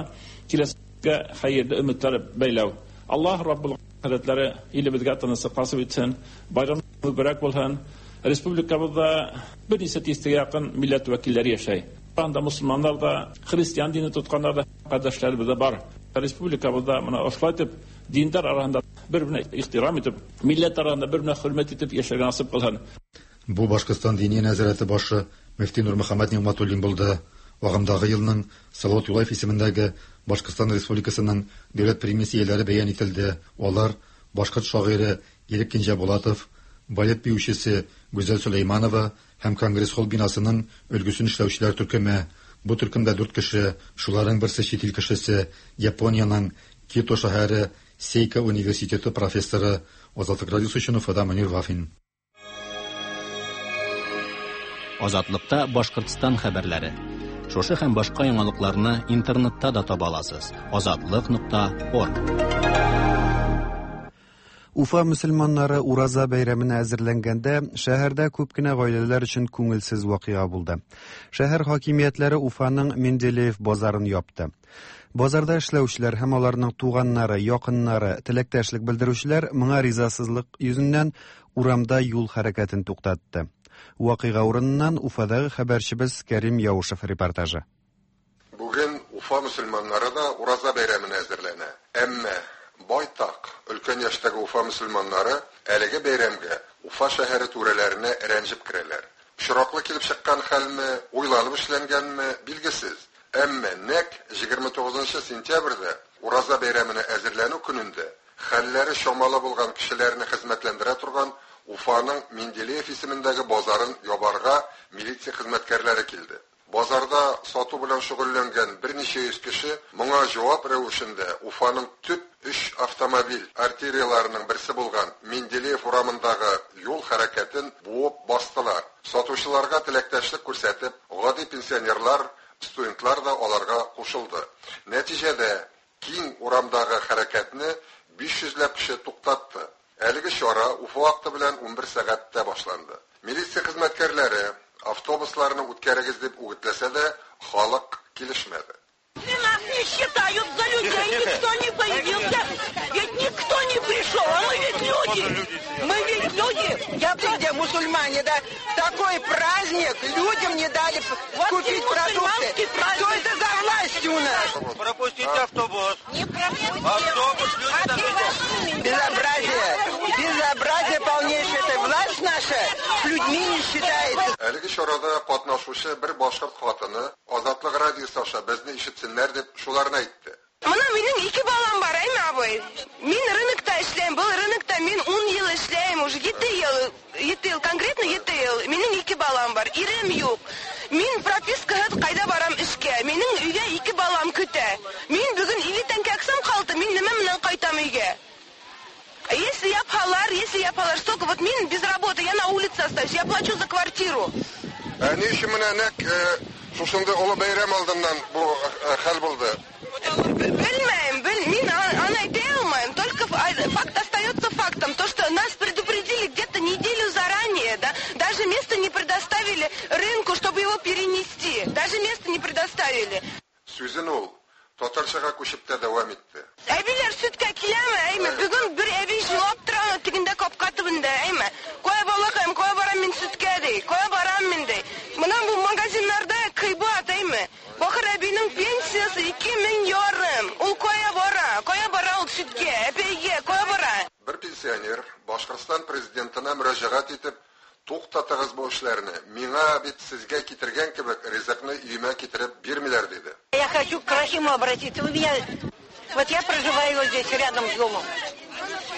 киләчәккә хәерле өметләр бәйләү. Аллаһ Раббул хәзрәтләре илебезгә тынычлык насыйп итсен, байрам мөбарәк булсын. Республикабызда берничә тистәгә якын милләт вәкилләре яшәй. Анда мусульманнар да, христиан дине тотканнар да кардәшләребез дә бар. Республикабызда менә ошулай итеп диндар арасында бер-беренә ихтирам итеп, милләт арасында бер-беренә хөрмәт итеп яшәргә насыйп кылсын. Бу Башкортстан диния нәзарәте башы мөфти Нурмөхәммәт Нигъмәтуллин булды. Агымдагы елның Салават Юлаев исемендәге Башкортстан Республикасының дәүләт премиясе ияләре бәян ителде. Алар башкорт шагыйре Ирек Кинҗәбулатов, балет биючесе Гүзәл Сөләйманова һәм Конгресс-холл бинасының өлгесен эшләүчеләр төркеме. Бу төркемдә дүрт кеше, шуларның берсе чит ил кешесе, Япониянең Кито шәһәре Сейка университеты профессоры. Азатлык радиосы өчен Уфада Мөнир Вафин. Азатлыкта Башкортстан хәбәрләре. Шушы һәм башка яңалыкларны интернетта да таба аласыз. Азатлык нокта орг. Уфа мөселманнары Ураза бәйрәменә әзерләнгәндә шәһәрдә күп кенә гаиләләр өчен күңелсез вакыйга булды. Шәһәр хакимиятләре Уфаның Менделеев базарын япты. Базарда эшләүчеләр һәм аларның туганнары, якыннары, теләктәшлек белдерүчеләр моңа ризасызлык йөзеннән урамда юл хәрәкәтен туктатты. Вакыйга урыныннан Уфадагы хәбәрчебез Кәрим Яушев репортажы. Бүген Уфа мөселманнары да Ураза бәйрәменә әзерләнә. Әмма байтак өлкән яшьтәге Уфа мөселманнары әлеге бәйрәмгә Уфа шәһәре түрәләренә рәнҗеп керәләр. Очраклы килеп чыккан хәлме, уйланып эшләнгәнме, билгесез. Әмма нәкъ егерме тугызынчы сентябрьдә Ураза бәйрәменә әзерләнү көнендә хәлләре чамалы булган кешеләрне хезмәтләндерә торган Уфаның Менделеев исемендәге базарын ябарга милиция хезмәткәрләре килде. Базарда сату белән шөгыльләнгән берничә йөз кеше моңа җавап рәвешендә Уфаның төп өч автомобиль артерияларының берсе булган Менделеев урамындагы юл хәрәкәтен буып бастылар. Сатучыларга теләктәшлек күрсәтеп, гади пенсионерлар, студентлар да аларга кушылды. Нәтиҗәдә киң урамдагы хәрәкәтне биш йөзләп кеше туктатты. Әлеге чара Уфа вакыты белән унбер сәгатьтә башланды. Милиция хезмәткәрләре автобусларны үткәрегез дип үгетләсә дә, халык килешмәде. Нас не считают за людей, никто не появился, ведь никто не пришел, а мы ведь люди, мы ведь люди. Я где мусульмане, да, такой праздник людям не дали вот купить продукты. Что это за власть у нас? Пропустите автобус. Не пропустим. Автобус, люди там идут. Безобразие, безобразие полнейшее, это власть наша с людьми не считается. Әлеге чарада катнашучы бер башкорт хатыны Азатлык радиосы аша безне ишетсеннәр дип шуларны әйтте. Мына минем ике балам бар, әйме, абый. Мин рынокта эшләйм, был рынокта мин ун ел эшләйм, уже ете ел, ете ел, конкретно ете ел. Минем ике балам бар, ирем юк. Мин пропискаһыз кайда барам эшкә? Минем өйгә ике балам көтә. Мин бүген илле тәңкә аксам калды, мин нимә белән кайтам өйгә? Если я палар, если я палар, столько вот мин без работы, я на улице остаюсь, я плачу за квартиру. Ә ни өчен менә нәкъ шушында олы бәйрәм алдыннан бу хәл булды? Белмәйм, бел, мин аны әйтә алмыйм. Только факт остается фактом, то что нас предупредили где-то неделю заранее, да, даже место не предоставили рынку, чтобы его перенести, даже место не предоставили. Сүзен ул татарчага күчеп тә дәвам итте. Әбиләр сөткә киләме, әйме? Бүген бер әби җылап тора тегендә капка төбендә, әйме? Кая балакаем, кая барам мин сөткә ди, кая барам мин ди. Менә бу магазиннарда кыйбат, әйме? Бахыр әбинең пенсиясе ике мең ярым. Ул кая бара? Кая бара ул сөткә, әпәйгә, кая бара? Бер пенсионер Башкортстан президентына мөрәҗәгать итеп, туктатыгыз бу эшләрне. Миңа бит сезгә китергән кебек ризыкны өемә китереп бирмиләр диде. Я хочу к Рахиму обратиться. У меня вот я проживаю вот здесь рядом с домом.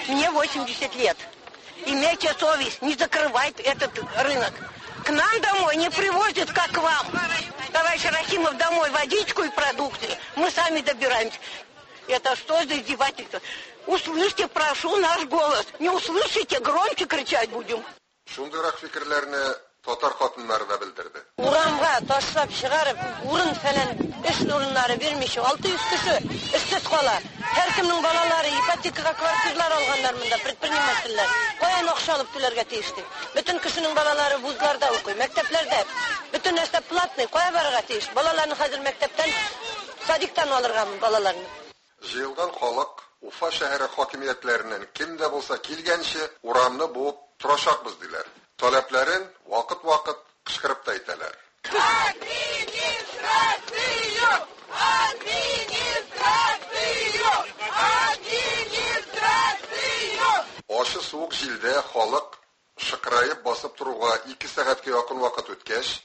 Мне восемьдесят лет. Имейте совесть, не закрывайте этот рынок. К нам домой не привозят, как к вам. Товарищ Рахимов, домой водичку и продукты. Мы сами добираемся. Это что за издевательство? Услышьте, прошу, наш голос. Не услышите, громче кричать будем. Шундыйрак фикерләрне татар хатыннары да белдерде. Урамга ташлап чыгарып, урын фәлән эш урыннары бирмичә, алты йөз кеше эшсез кала. Һәркемнең балалары ипотекага квартиралар алганнар монда, предпринимательләр. Каян акча алып түләргә тиеш ди? Бөтен кешенең балалары вузларда укый, мәктәпләрдә. Бөтен нәрсә платный, кая барырга тиеш? Балаларны хәзер мәктәптән, садиктан алырга балаларны. Җыелган халык Уфа шәһәре хакимиятләреннән кем дә булса килгәнче урамны буып торачакбыз диләр. Таләпләрен вакыт-вакыт кычкырып та әйтәләр. Администрацию! Администрацию! Администрацию! Ачы суык җилдә халык шыкраеп басып торуга ике сәгатькә якын вакыт үткәч,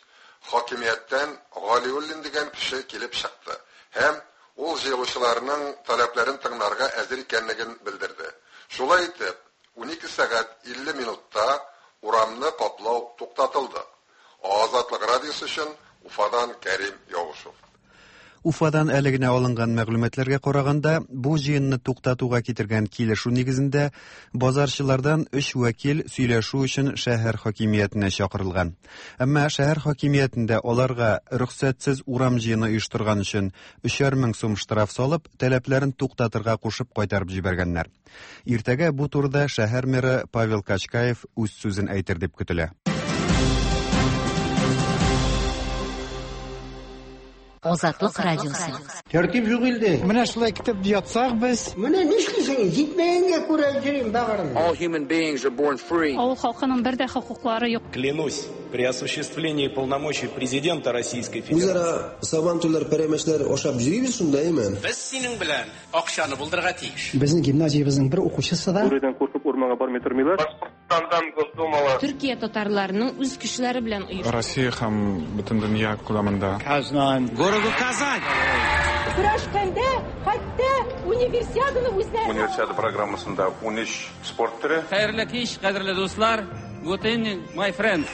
хакимияттән Галиуллин дигән кеше килеп чыкты һәм ул җыелучыларның таләпләрен тыңларга әзер икәнлеген белдерде. Шулай итеп, унике сәгать илле минутта урамны каплау туктатылды. Азатлык радиосы өчен Уфадан Кәрим Яушев. Уфадан әле генә алынган мәгълүматларга караганда, бу җыенны туктатуга китергән килешү нигезендә базарчылардан өч вәкил сөйләшү өчен шәһәр хакимиятенә чакырылган. Әмма шәһәр хакимиятендә аларга рөхсәтсез урам җыены оештырган өчен өчәр мең сум штраф салып, таләпләрен туктатырга кушып кайтарып җибәргәннәр. Иртәгә бу турыда шәһәр мэры Павел Качкаев үз сүзен әйтер дип көтелә. Азатлык радиосы. Тәртип юк илдә. Менә шулай китеп ятсак без. Менә нишлисең? Җитмәгәнгә күрә йөрим багырым. All human beings are born free. Авыл халкының бер дә хокуклары юк. Клянусь, при осуществлении полномочий президента Российской Федерации. Үзара сабантуйлар, пәрәмәчләр ашап йөрибез шунда, әйме? Без синең белән акчаны булдырырга тиеш. Безнең гимназиябезнең бер укучысы да Бүредән куркып урманга бармый тормыйлар. Башкортстандан Госдумала. Төркия татарларының үз кешеләре белән оешты. Россия һәм бөтен дөнья күләмендә. Казан. Городу Казань. Көрәшкәндә хәтта универсиаданы үзләре. Универсиада программасында ун өч спорт төре. Хәерле кич, кадерле дуслар. Good evening, my friends.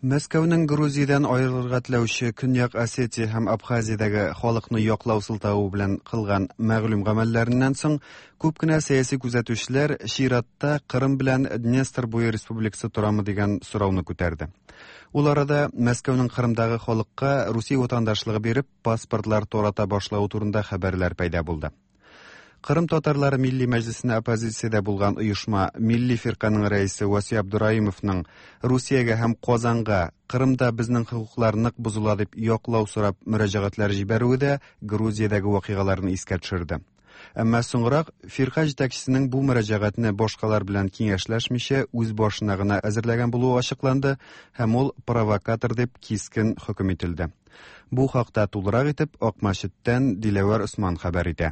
Мәскәүнең Грузиядән аерылырга теләүче Көньяк Осетия һәм Абхазиядәге халыкны яклау сылтавы белән кылган мәгълүм гамәлләреннән соң күп кенә сәяси күзәтүчеләр чиратта Кырым белән Днестр буе республикасы торамы дигән сорауны күтәрде. Ул арада Мәскәүнең Кырымдагы халыкка Русия ватандашлыгы биреп паспортлар тарата башлавы турында хәбәрләр пәйда булды. Кырым татарлары милли мәҗлисенә оппозициядә булган оешма Милли фирканың рәисе Васиф Абдураимовның Русиягә һәм Казанга Кырымда безнең хокуклар нык бозыла дип яклау сорап мөрәҗәгатьләр җибәрүе дә Грузиядәге вакыйгаларны искә төшерде. Әмма соңрак фирка җитәкчесенең бу мөрәҗәгатьне башкалар белән киңәшләшмичә үз башына гына әзерләгән булуы ачыкланды һәм ул провокатор дип кискен хөкем ителде. Бу хакта тулырак итеп Акмәчеттән Диләвәр Усман хәбәр итә.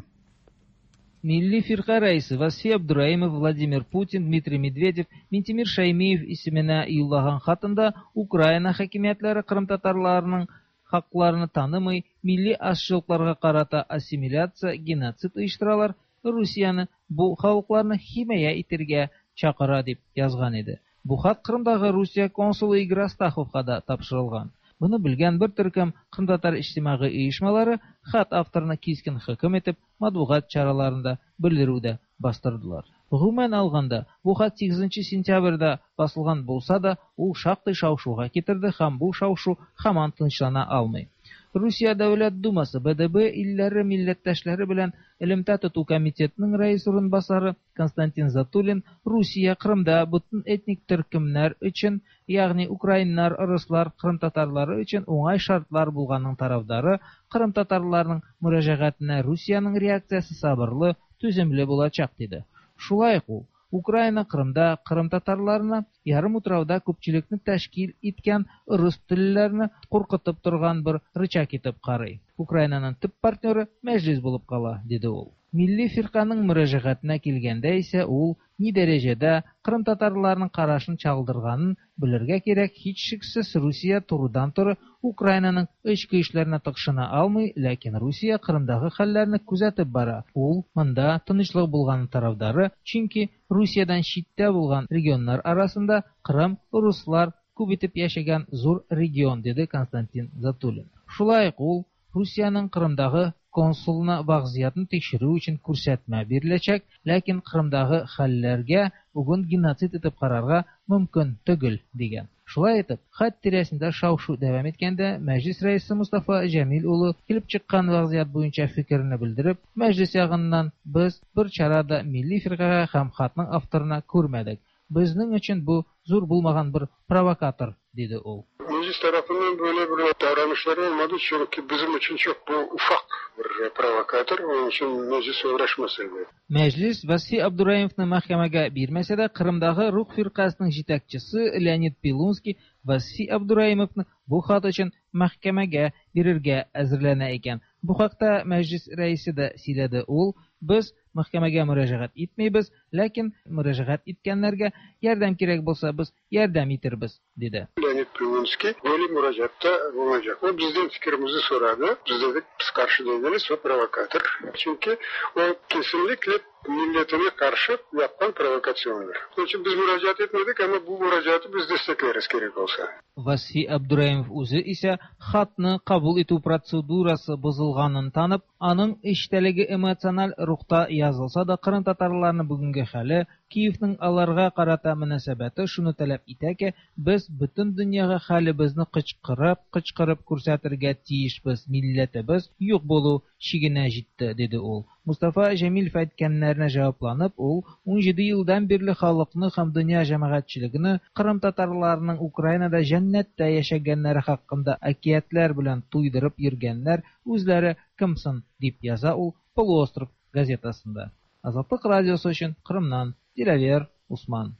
Милли фирка рәисе Васиф Абдураимов, Владимир Путин, Дмитрий Медведев, Минтимер Шаймиев исеменә юллаган хатында Украина хакимиятләре Кырым татарларының хакларны танымый, милли азчылыкларга карата ассимиляция, геноцид оештыралар, Русияне бу халыкларны химая итәргә чакыра дип язган иде. Бу хат Кырымдагы Русия консулы Игорь Астаховка да тапшырылган. Буны белгән бер төркем Кырым татар иҗтимагый оешмалары хат авторына кискен хөкем итеп, матбугат чараларында белдерүдә бастырдылар. Гомумән алганда, бу хат сигезенче сентябрьдә басылган булса да, ул шактый шау-шуга китерде һәм бу шау-шу һаман тынычлана алмый. Русия Дәүләт Думасы Б Д Б илләре милләттәшләре белән элемтә тоту комитетының рәис урынбасары Константин Затулин Русия Кырымда бөтен этник төркемнәр өчен, ягъни украиннар, руслар, кырым татарлары өчен уңай шартлар булганның тарафдары, кырым татарларының мөрәҗәгатенә Русиянең реакциясе сабырлы, түземле булачак диде. Шулай ук ул Украина Кырымда кырым татарларына ярым утрауда күпчелекне тәшкил иткән рус телләрне куркытып торган бер рычаг итеп карый. Украинаның төп партнеры Мәҗлис булып кала, диде ул. Милли фирканың мөрәҗәгатенә килгәндә исә ул ни дәрәҗәдә кырым татарларының карашын чагылдырганын белергә кирәк, һичшиксез Русия турыдан-туры Украинаның эчке эшләренә тыкшына алмый, ләкин Русия Кырымдагы хәлләрне күзәтеп бара. Ул монда тынычлык булган тарафдары, чөнки Русиядән читтә булган регионнар арасында Кырым руслар күп итеп яшәгән зур регион, диде Константин Затулин. Шулай ук ул Русиянең Кырымдагы консулына вазгыятьне тикшерү өчен күрсәтмә биреләчәк, ләкин Кырымдагы хәлләргә бүген геноцид итеп карарга мөмкин түгел, дигән. Шулай итеп, хат тирәсендә шау-шу дәвам иткәндә, Мәҗлис рәисе Мустафа Җәмил улы килеп чыккан вазгыять буенча фикерне белдереп, Мәҗлис ягыннан без бер чара да милли фиркага һәм хатның авторына күрмәдек. Безнең өчен бу зур булмаган бер провокатор, диде ул. Meclis tarafından böyle bir davranışları olmadı çünkü bizim için çok bu ufak bir provokatör, onun için meclis uğraşmasaydı. Meclis Васиф Абдураимовны мәхкәмәгә бирмәсә дә, Кырымдагы Рух фиркасының җитәкчесе Леонид Пилунский Васиф Абдураимовны бу хат өчен мәхкәмәгә бирергә әзерләнә икән. Бу хакта мәҗлис рәисе дә сөйләде. Ул Без мәхкәмәгә мөрәҗәгать итмибез, ләкин мөрәҗәгать иткәннәргә ярдәм кирәк булса, без ярдәм итербез, диде. Леонид Прилуцкий böyle müracaatta bulunacak. O bizden fikrimizi soradı. Biz dedik biz karşı değiliz, o provokatör. Çünkü o kesinlikle milletine karşı yapılan provokasyondur. Onun için biz müracaat etmedik ama bu müracaatı biz destekleriz gerek olsa. Vasfi Abduraimov үзе исә хатны кабул итү процедурасы бозылганын танып, аның эчтәлеге эмоциональ рухта язылса да, Кырым татарларының бүгенге хәле, Киевның аларга карата мөнәсәбәте шуны таләп итә ки, без бөтен дөньяга хәлебезне кычкырып, кычкырып күрсәтергә тиешбез, милләтебез юк булу чигенә җитте, диде ул. Мустафа Җәмилев әйткәннәренә җавапланып, ул ун җиде елдан бирле халыкны һәм дөнья җәмәгатьчелегене Кырым татарларының Украинада җәннәттә яшәгәннәре хакында әкиятләр белән туйдырып йөргәннәр үзләре кемсен, дип яза ул Полуостров газетасында. Азатлык радиосы өчен Кырымнан Диләвер Усман.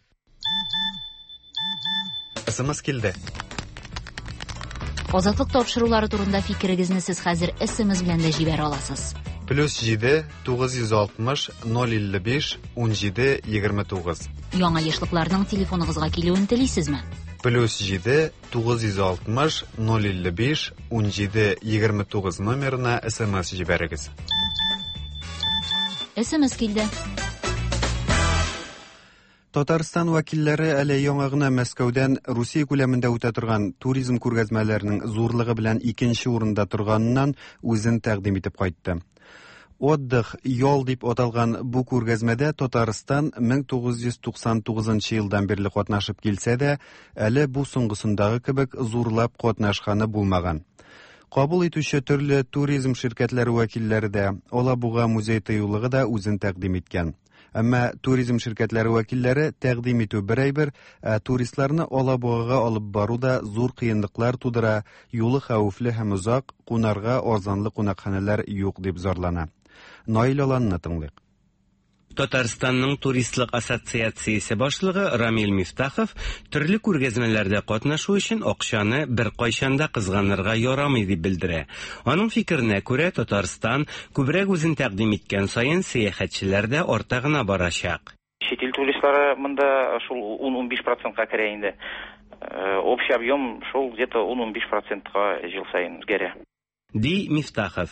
СМС килде. Азатлык тапшырулары турында фикерегезне сез хәзер СМС белән дә җибәрә аласыз. Плюс җиде тугыз йөз алтмыш ноль илле биш ун җиде егерме тугыз. Яңа ешлыкларның телефоныгызга килүен телисезме? Плюс җиде тугыз йөз алтмыш ноль илле биш ун җиде егерме тугыз номерына СМС җибәрегез. СМС килде. Татарстан вәкилләре әле яңа гына Мәскәүдән Русия күләмендә үтә торган туризм күргәзмәләренең зурлыгы белән икенче урында торганыннан үзен тәкъдим итеп кайтты. Отдых, ял дип аталган бу күргәзмәдә Татарстан мең тугыз йөз туксан тугызынчы елдан бирле катнашып килсә дә, әле бу соңгысындагы кебек зурлап катнашканы булмаган. Кабул итүче төрле туризм ширкәтләре вәкилләре дә, Алабуга музей тыюлыгы да үзен тәкъдим иткән. Әмма туризм ширкәтләре вәкилләре тәкъдим итү бер әйбер, ә туристларны Алабугага алып бару да зур кыенлыклар тудыра, юлы хәвефле һәм озак, кунарга арзанлы кунакханәләр юк дип зарлана. Наил Аланны тыңлыйк. Татарстанның туристлык ассоциациясе башлыгы Рамил Мифтахов төрле күргәзмәләрдә катнашу өчен акчаны бер кайчан да кызганырга ярамый дип белдерә. Аның фикеренә күрә, Татарстан күбрәк үзен тәкъдим иткән саен сәяхәтчеләр дә арта гына барачак. Чит ил туристлары монда шул ун-ун биш процентка керә инде. Общий объем шул где-то ун-ун биш процентка ел саен үзгәрә. Ди Мифтахов.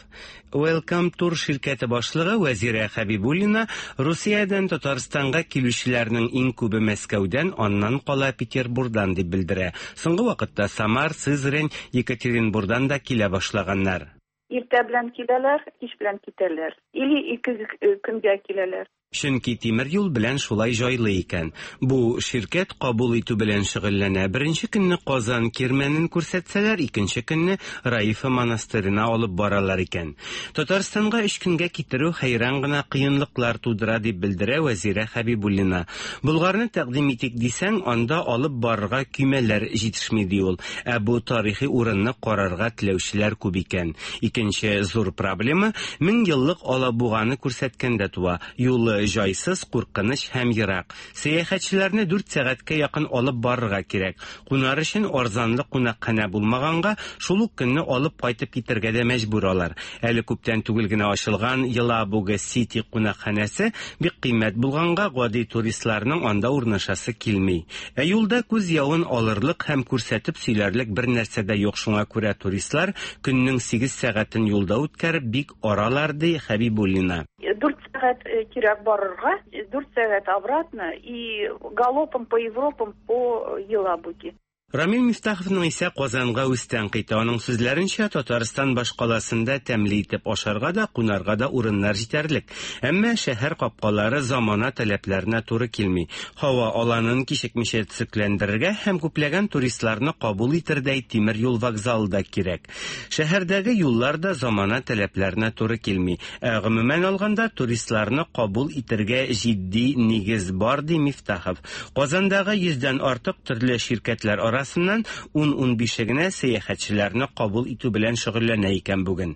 Welcome Tour ширкәте башлыгы Вәзирә Хәбибуллина Русиядән Татарстанга килүчеләрнең иң күбе Мәскәүдән, аннан кала Петербургдан дип белдерә. Соңгы вакытта Самар, Сызрань, Екатеринбургдан да килә башлаганнар. Иртә белән киләләр, кич белән китәләр. Или ике көнгә киләләр. Чөнки тимер юл белән шулай җайлы икән. Бу ширкәт кабул итү белән шөгыльләнә. Беренче көнне Казан кирмәнен күрсәтсәләр, икенче көнне Раифа монастырена алып баралар икән. Татарстанга өч көнгә китерү хәйран гына кыенлыклар тудыра дип белдерә Вәзирә Хәбибуллина. Булгарны тәкъдим итик дисәң, анда алып барырга көймәләр җитешми ди ул. Ә бу тарихи урынны карарга теләүчеләр күп икән. Икенче зур проблема мең еллык Алабуганы күрсәткәндә туа. Юлы җайсыз, куркыныч һәм ерак. Сәяхәтчеләрне дүрт сәгатькә якын алып барырга кирәк. Кунар өчен арзанлы кунакханә булмаганга, шул ук көнне алып кайтып китәргә дә мәҗбүр алар. Әле күптән түгел генә ачылган Елабуга Сити кунакханәсе бик кыйммәт булганга, гади туристларның анда урнашасы килми. Ә юлда күз явын алырлык һәм күрсәтеп сөйләрлек бер нәрсә дә юк, шуңа күрә туристлар көннең сигез сәгатен юлда үткәреп бик аралар, ди Хәбибуллина. Дүрт сәгать кирәк барырга, дүрт сәгать обратно и галопом по Европам, по Елабуге. Рамил Мифтаховның исә Казанга үз тәнкыйте. Аның сүзләренчә, Татарстан башкаласында тәмле итеп ашарга да, кунарга да урыннар җитәрлек. Әмма шәһәр капкалары замана таләпләренә туры килми. Һава аланын кичекмичә төзекләндерергә һәм күпләгән туристларны кабул итердәй тимер юл вокзалы да кирәк. Шәһәрдәге юллар да замана таләпләренә туры килми. Ә гомумән алганда туристларны кабул итергә җитди нигез бар, ди Мифтахов. Казандагы йөздән артык төрле ширкәтләр арасыннан ун-унбише генә сәяхәтчеләрне кабул итү белән шөгыльләнә икән бүген.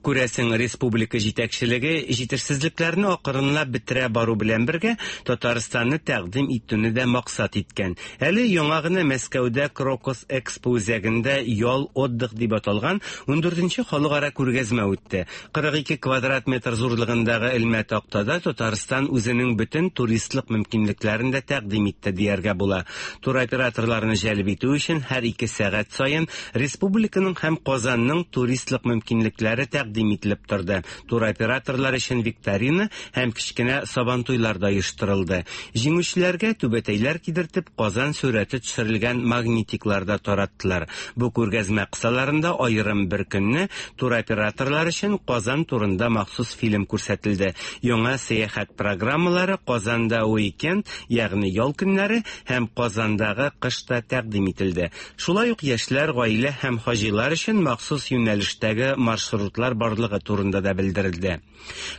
Күрәсең, республика җитәкчелеге җитешсезлекләрне акрынлап бетерә бару белән бергә Татарстанны тәкъдим итүне дә максат иткән. Әле яңа гына Мәскәүдә Крокус Экспо үзәгендә ял отдых дип аталган ундүртенче халыкара күргәзмә үтте. Кырык ике квадрат метр зурлыгындагы элмә тактада Татарстан үзенең бөтен туристлык мөмкинлекләрен дә тәкъдим итте дияргә була. Туроператорларны җәлеп итү өчен һәр ике сәгать саен республиканың һәм Казанның туристлык мөмкинлекләре тәкъдим ителеп торды. Туроператорлар өчен викторина һәм кечкенә сабантуйлар да оештырылды. Җиңүчеләргә түбәтәйләр кидертеп Казан сурәте төшерелгән магнитиклар да тараттылар. Бу күргәзмә кысаларында аерым бер көнне туроператорлар өчен Казан турында махсус фильм күрсәтелде. Яңа сәяхәт программалары Казанда уикенд, ягъни ял көннәре һәм Казандагы кышта тәкъдим ителде. Шулай ук яшьләр, гаилә һәм хаҗилар өчен махсус юнәлештәге маршрутлар барлыгы турында да белдерелде.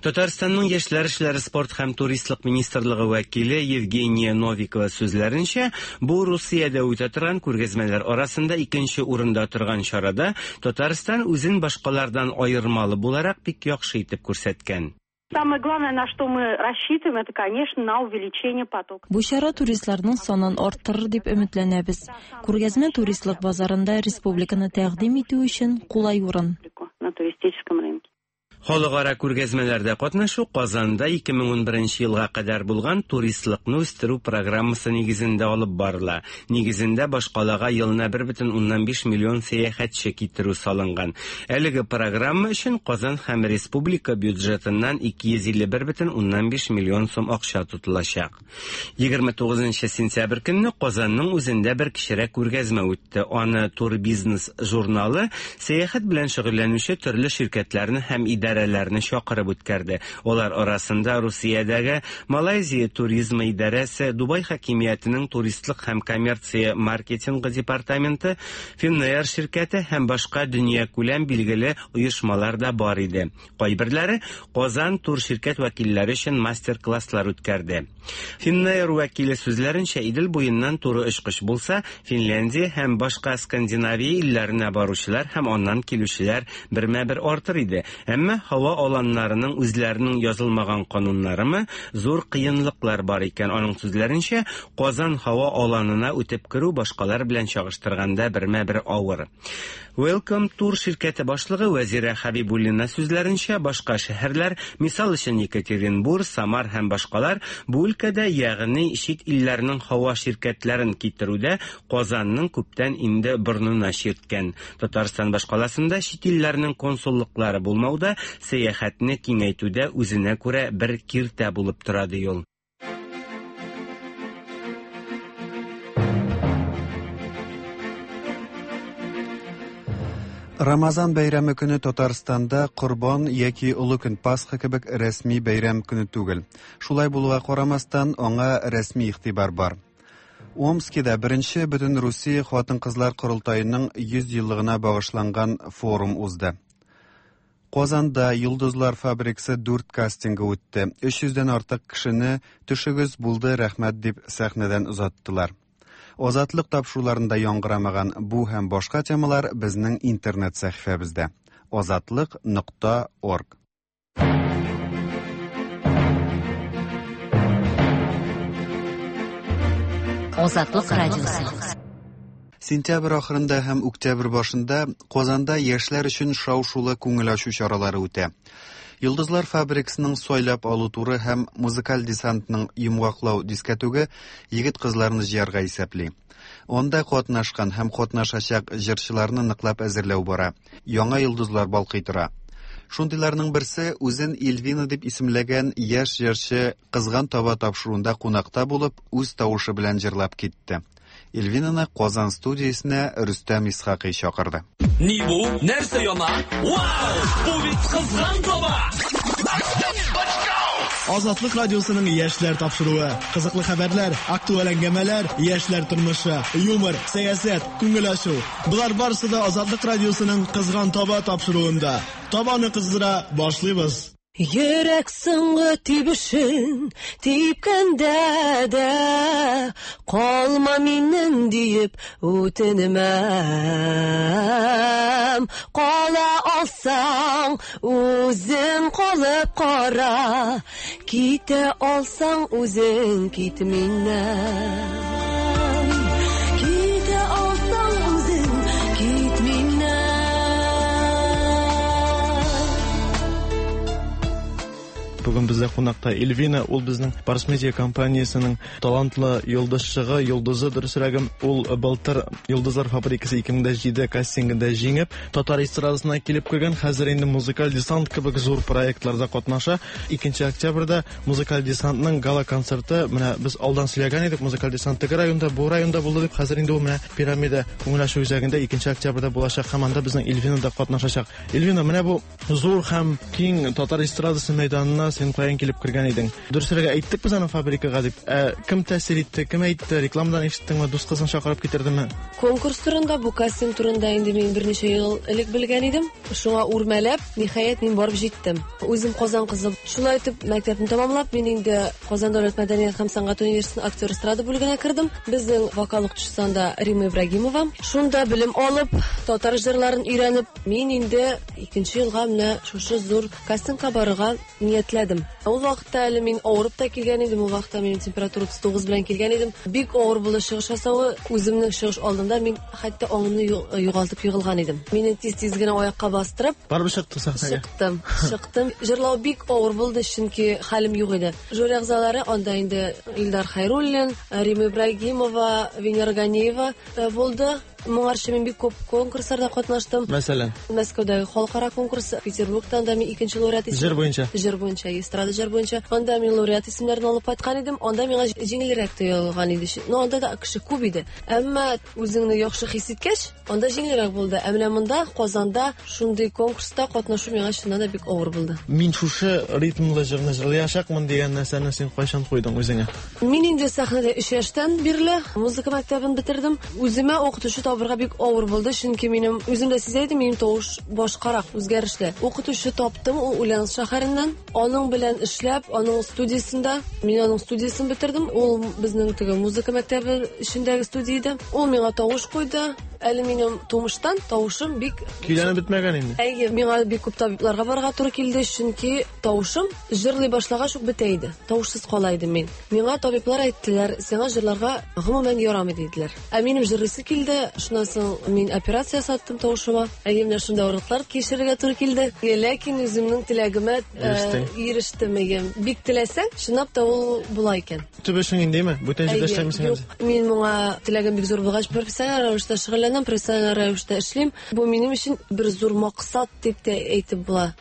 Татарстанның яшьләр эшләре, спорт һәм туристлык министрлыгы вәкиле Евгения Новикова сүзләренчә, бу Русиядә үтә торган күргәзмәләр арасында икенче урында торган чарада Татарстан үзен башкалардан аермалы буларак бик яхшы итеп күрсәткән. Самое главное, на что мы рассчитываем, это, конечно, на увеличение потока. Бу чара туристларның санын арттырыр дип өметләнәбез. Күргәзмә туристлык базарында республиканы тәкъдим итү өчен кулай урын. На туристическом рынке. Халыкара күргәзмәләрдә катнашу Казанда ике мең унберенче елга кадәр булган туристлыкны үстерү программасы нигезендә алып барыла. Нигезендә башкалага елына бер бөтен уннан биш миллион сәяхәтче китерү салынган. Әлеге программа өчен Казан һәм республика бюджетыннан ике йөз илле бер бөтен уннан биш миллион сум акча тотылачак. Егерме тугызынчы сентябрь көнне Казанның үзендә бер кечерәк күргәзмә үтте. Аны Турбизнес журналы сәяхәт белән шөгыльләнүче төрле ширкәтләрне һәм идарәләрне чакырып үткәрде. Алар арасында Русиядәге Малайзия туризмы идарәсе, Дубай хакимиятенең туристлык һәм коммерция маркетингы департаменты, Finnair ширкәте һәм башка дөньякүләм билгеле оешмалар да бар иде. Кайберләре Казан тур ширкәт вәкилләре өчен мастер-класслар үткәрде. Finnair вәкиле сүзләренчә, Идел буеннан туры очкыч булса, Финляндия һәм башка Скандинавия илләренә баручылар һәм аннан килүчеләр бермә-бер артыр иде. Әмма һава аланнарының үзләренең язылмаган кануннарымы зур кыенлыклар бар икән. Аның сүзләренчә, Казан һава аланына үтеп керү башкалар белән чагыштырганда бермә-бер авыр. Welcome Tour ширкәте башлыгы Вәзирә Хабибуллина сүзләренчә, башка шәһәрләр, мисал өчен Екатеринбург, Самар һәм башкалар, бу өлкәдә, ягъни чит илләрнең һава ширкәтләрен китерүдә Казанның күптән инде борынына чирткән. Татарстан башкаласында чит илләрнең консуллыклары булмауда сәяхәтне киңәйтүдә үзенә күрә бер киртә булып тора ди ул. Рамазан бәйрәме көне Татарстанда Корбан яки Олы көн Пасха кебек рәсми бәйрәм көне түгел. Шулай булуга карамастан, аңа рәсми игътибар бар. Омскида беренче бөтен Русия хатын-кызлар корылтаеның йөз еллыгына багышланган форум узды. Казанда Йолдызлар фабрикасы дүрт кастингы үтте. Өч йөздән артык кешене төшегез булды, рәхмәт дип сәхнәдән озаттылар. Азатлык тапшыруларында яңгырамаган бу һәм башка темалар безнең интернет сәхифәбездә. азатлык нокта орг. Азатлык радиосы. Сентябрь ахырында һәм октябрь башында Казанда яшьләр өчен шау-шулы күңел ачу чаралары үтә. Йолдызлар фабрикасының сайлап алу туры һәм музыкаль десантның йомгаклау дискәтүге егет-кызларны җыярга исәпли. Анда катнашкан һәм катнашачак җырчыларны ныклап әзерләү бара. Яңа йолдызлар балкый тора. Шундыйларның берсе үзен Эльвина дип исемләгән яшь җырчы Кызган таба тапшыруында кунакта булып, үз тавышы белән җырлап китте. Эльвинаны Казан студиясенә Рөстәм Исхакый чакырды. Ни бу? Нәрсә яна? Вау! Бу бит Кызган таба! Азатлык радиосының яшьләр тапшыруы. Кызыклы хәбәрләр, актуаль әңгәмәләр, яшьләр тормышы, юмор, сәясәт, күңел ачу. Болар барысы да Азатлык радиосының Кызган таба тапшыруында. Табаны кыздыра башлыйбыз. Йөрәк соңгы тибешен типкәндә дә калма миннән диеп үтенмәм. Кала алсаң үзең калып кара, китә алсаң үзең кит миннән. Китә алсаң үзең кит миннән. Бүген бездә кунакта Эльвина, ул безнең Барс Медиа компаниясенең талантлы йолдызчыгы, йолдызы дөресрәге. Ул былтыр Йолдызлар фабрикасы ике мең җиде кастингында җиңеп, татар эстрадасына килеп кергән, хәзер инде Музыкаль десант кебек зур проектларда катнаша. Икенче октябрьдә Музыкаль десантның гала концерты, менә без алдан сөйләгән идек, Музыкаль десант теге районда, бу районда булды дип, хәзер инде ул менә Пирамида күңел ачу үзәгендә икенче октябрьдә булачак һәм анда безнең Эльвина да катнашачак. Эльвина, менә бу зур һәм киң татар эстрадасы мәйданына син каян килеп кергән идең? Дөресрәге әйттек без аны фабрикага дип. Ә, кем тәэсир итте, кем әйтте, рекламадан ишеттеңме, дус кызың чакырып китердеме? Конкурс турында, бу кастинг турында инде мин берничә ел элек белгән идем. Шуңа үрмәләп, ниһаять мин барып җиттем. Үзем Казан кызы. Шулай итеп мәктәпне тәмамлап, мин инде Казан дәүләт мәдәният һәм сәнгать университетының актер эстрада бүлегенә кердем. Безнең вокал укытучысы анда Рима Ибрагимова. Шунда белем алып, татар җырларын өйрәнеп, мин инде икенче елга менә шушы зур кастингка барырга ниятләдем. Ул вакытта әле мин авырып та килгән идем, ул вакытта минем температура утыз тугыз белән килгән идем. Бик авыр булды чыгыш ясавы. Үземнең чыгыш алдында мин хәтта аңымны югалтып егылган идем. Мине тиз-тиз генә аякка бастырып, барып чыктың сәхнәгә. Чыктым, чыктым. Җырлау бик авыр булды, чөнки хәлем юк иде. Жюри әгъзалары анда инде Илдар Хайруллин, Рима Ибрагимова, Венера Ганиева булды. Моңарчы мин бик күп конкурсларда катнаштым. Мәсәлән, Мәскәүдәге халыкара конкурс, Петербургтан да мин икенче лауреат исеме. Җыр буенча. Җыр буенча, эстрада җыр буенча. Анда мин лауреат исемнәрен алып кайткан идем. Анда миңа җиңелрәк тоелган иде. Но анда да кеше күп иде. Әмма үзеңне яхшы хис иткәч, анда җиңелрәк булды. Ә менә монда Казанда шундый конкурста катнашу миңа чыннан да бик авыр булды. Мин шушы ритмлы җырны җырлаячакмын дигән нәрсәне син кайчан куйдың үзеңә? Мин инде сәхнәдә өч яшьтән бирле музыка мәктәбен бетердем. Үземә укытучы табырга бик авыр булды, чөнки минем үзем дә сизә идем, минем тавыш башкарак, үзгәрешле. Укытучы таптым, ул Ульяновск шәһәреннән. Аның белән эшләп, аның студиясендә, мин аның студиясен бетердем. Ул безнең теге музыка мәктәбе эчендәге студия иде. Ул миңа тавыш куйды. Әле минем тумыштан тавышым бик көйләнеп бетмәгән инде. Әйе, миңа бик күп табибларга барырга туры килде, чөнки тавышым җырлый башлагач ук бетә иде. Тавышсыз кала идем мин. Миңа табиблар әйттеләр, сиңа җырларга гомумән ярамый диделәр. Ә минем җырлыйсы килде, шуннан соң мин операция ясаттым тавышыма. Әйе, менә шунда авырлыклар кичерергә туры килде. Ләкин үземнең теләгемә ирештем. Бик теләсәң, чынлап та ул була икән. Төп эшең индеме? Бүтән җирдә эшләмисең әле? Мин моңа теләгем бик зур булгач, профессиональ рәвештә шөгыльләнәм, профессиональ рәвештә эшлим. Бу минем өчен бер зур максат дип тә әйтеп була.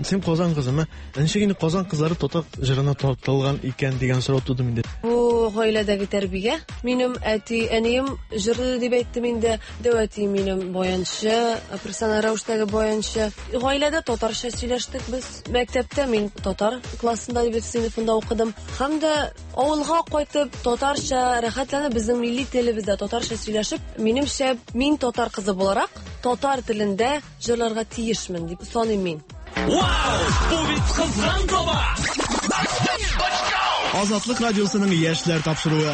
Син Казан кызымы? Ничек инде Казан кызлары татар җырына тартылган икән дигән сорау туды миндә. Бу гаиләдәге тәрбия. Минем әти, әнием җырлы дип әйттем инде. Дәү әти минем баянчы, профессиональ рәвештәге баянчы. Гаиләдә татарча сөйләштек без. Мәктәптә мин татар классында дип сыйныфында укыдым. Һәм дә авылга кайтып татарча рәхәтләнеп безнең милли телебездә татарча сөйләшеп, минемчә, мин татар кызы буларак татар телендә җырларга тиешмен дип саныйм мин. Вау! Бу бит кызган таба! Азатлык радиосының яшьләр тапшыруы.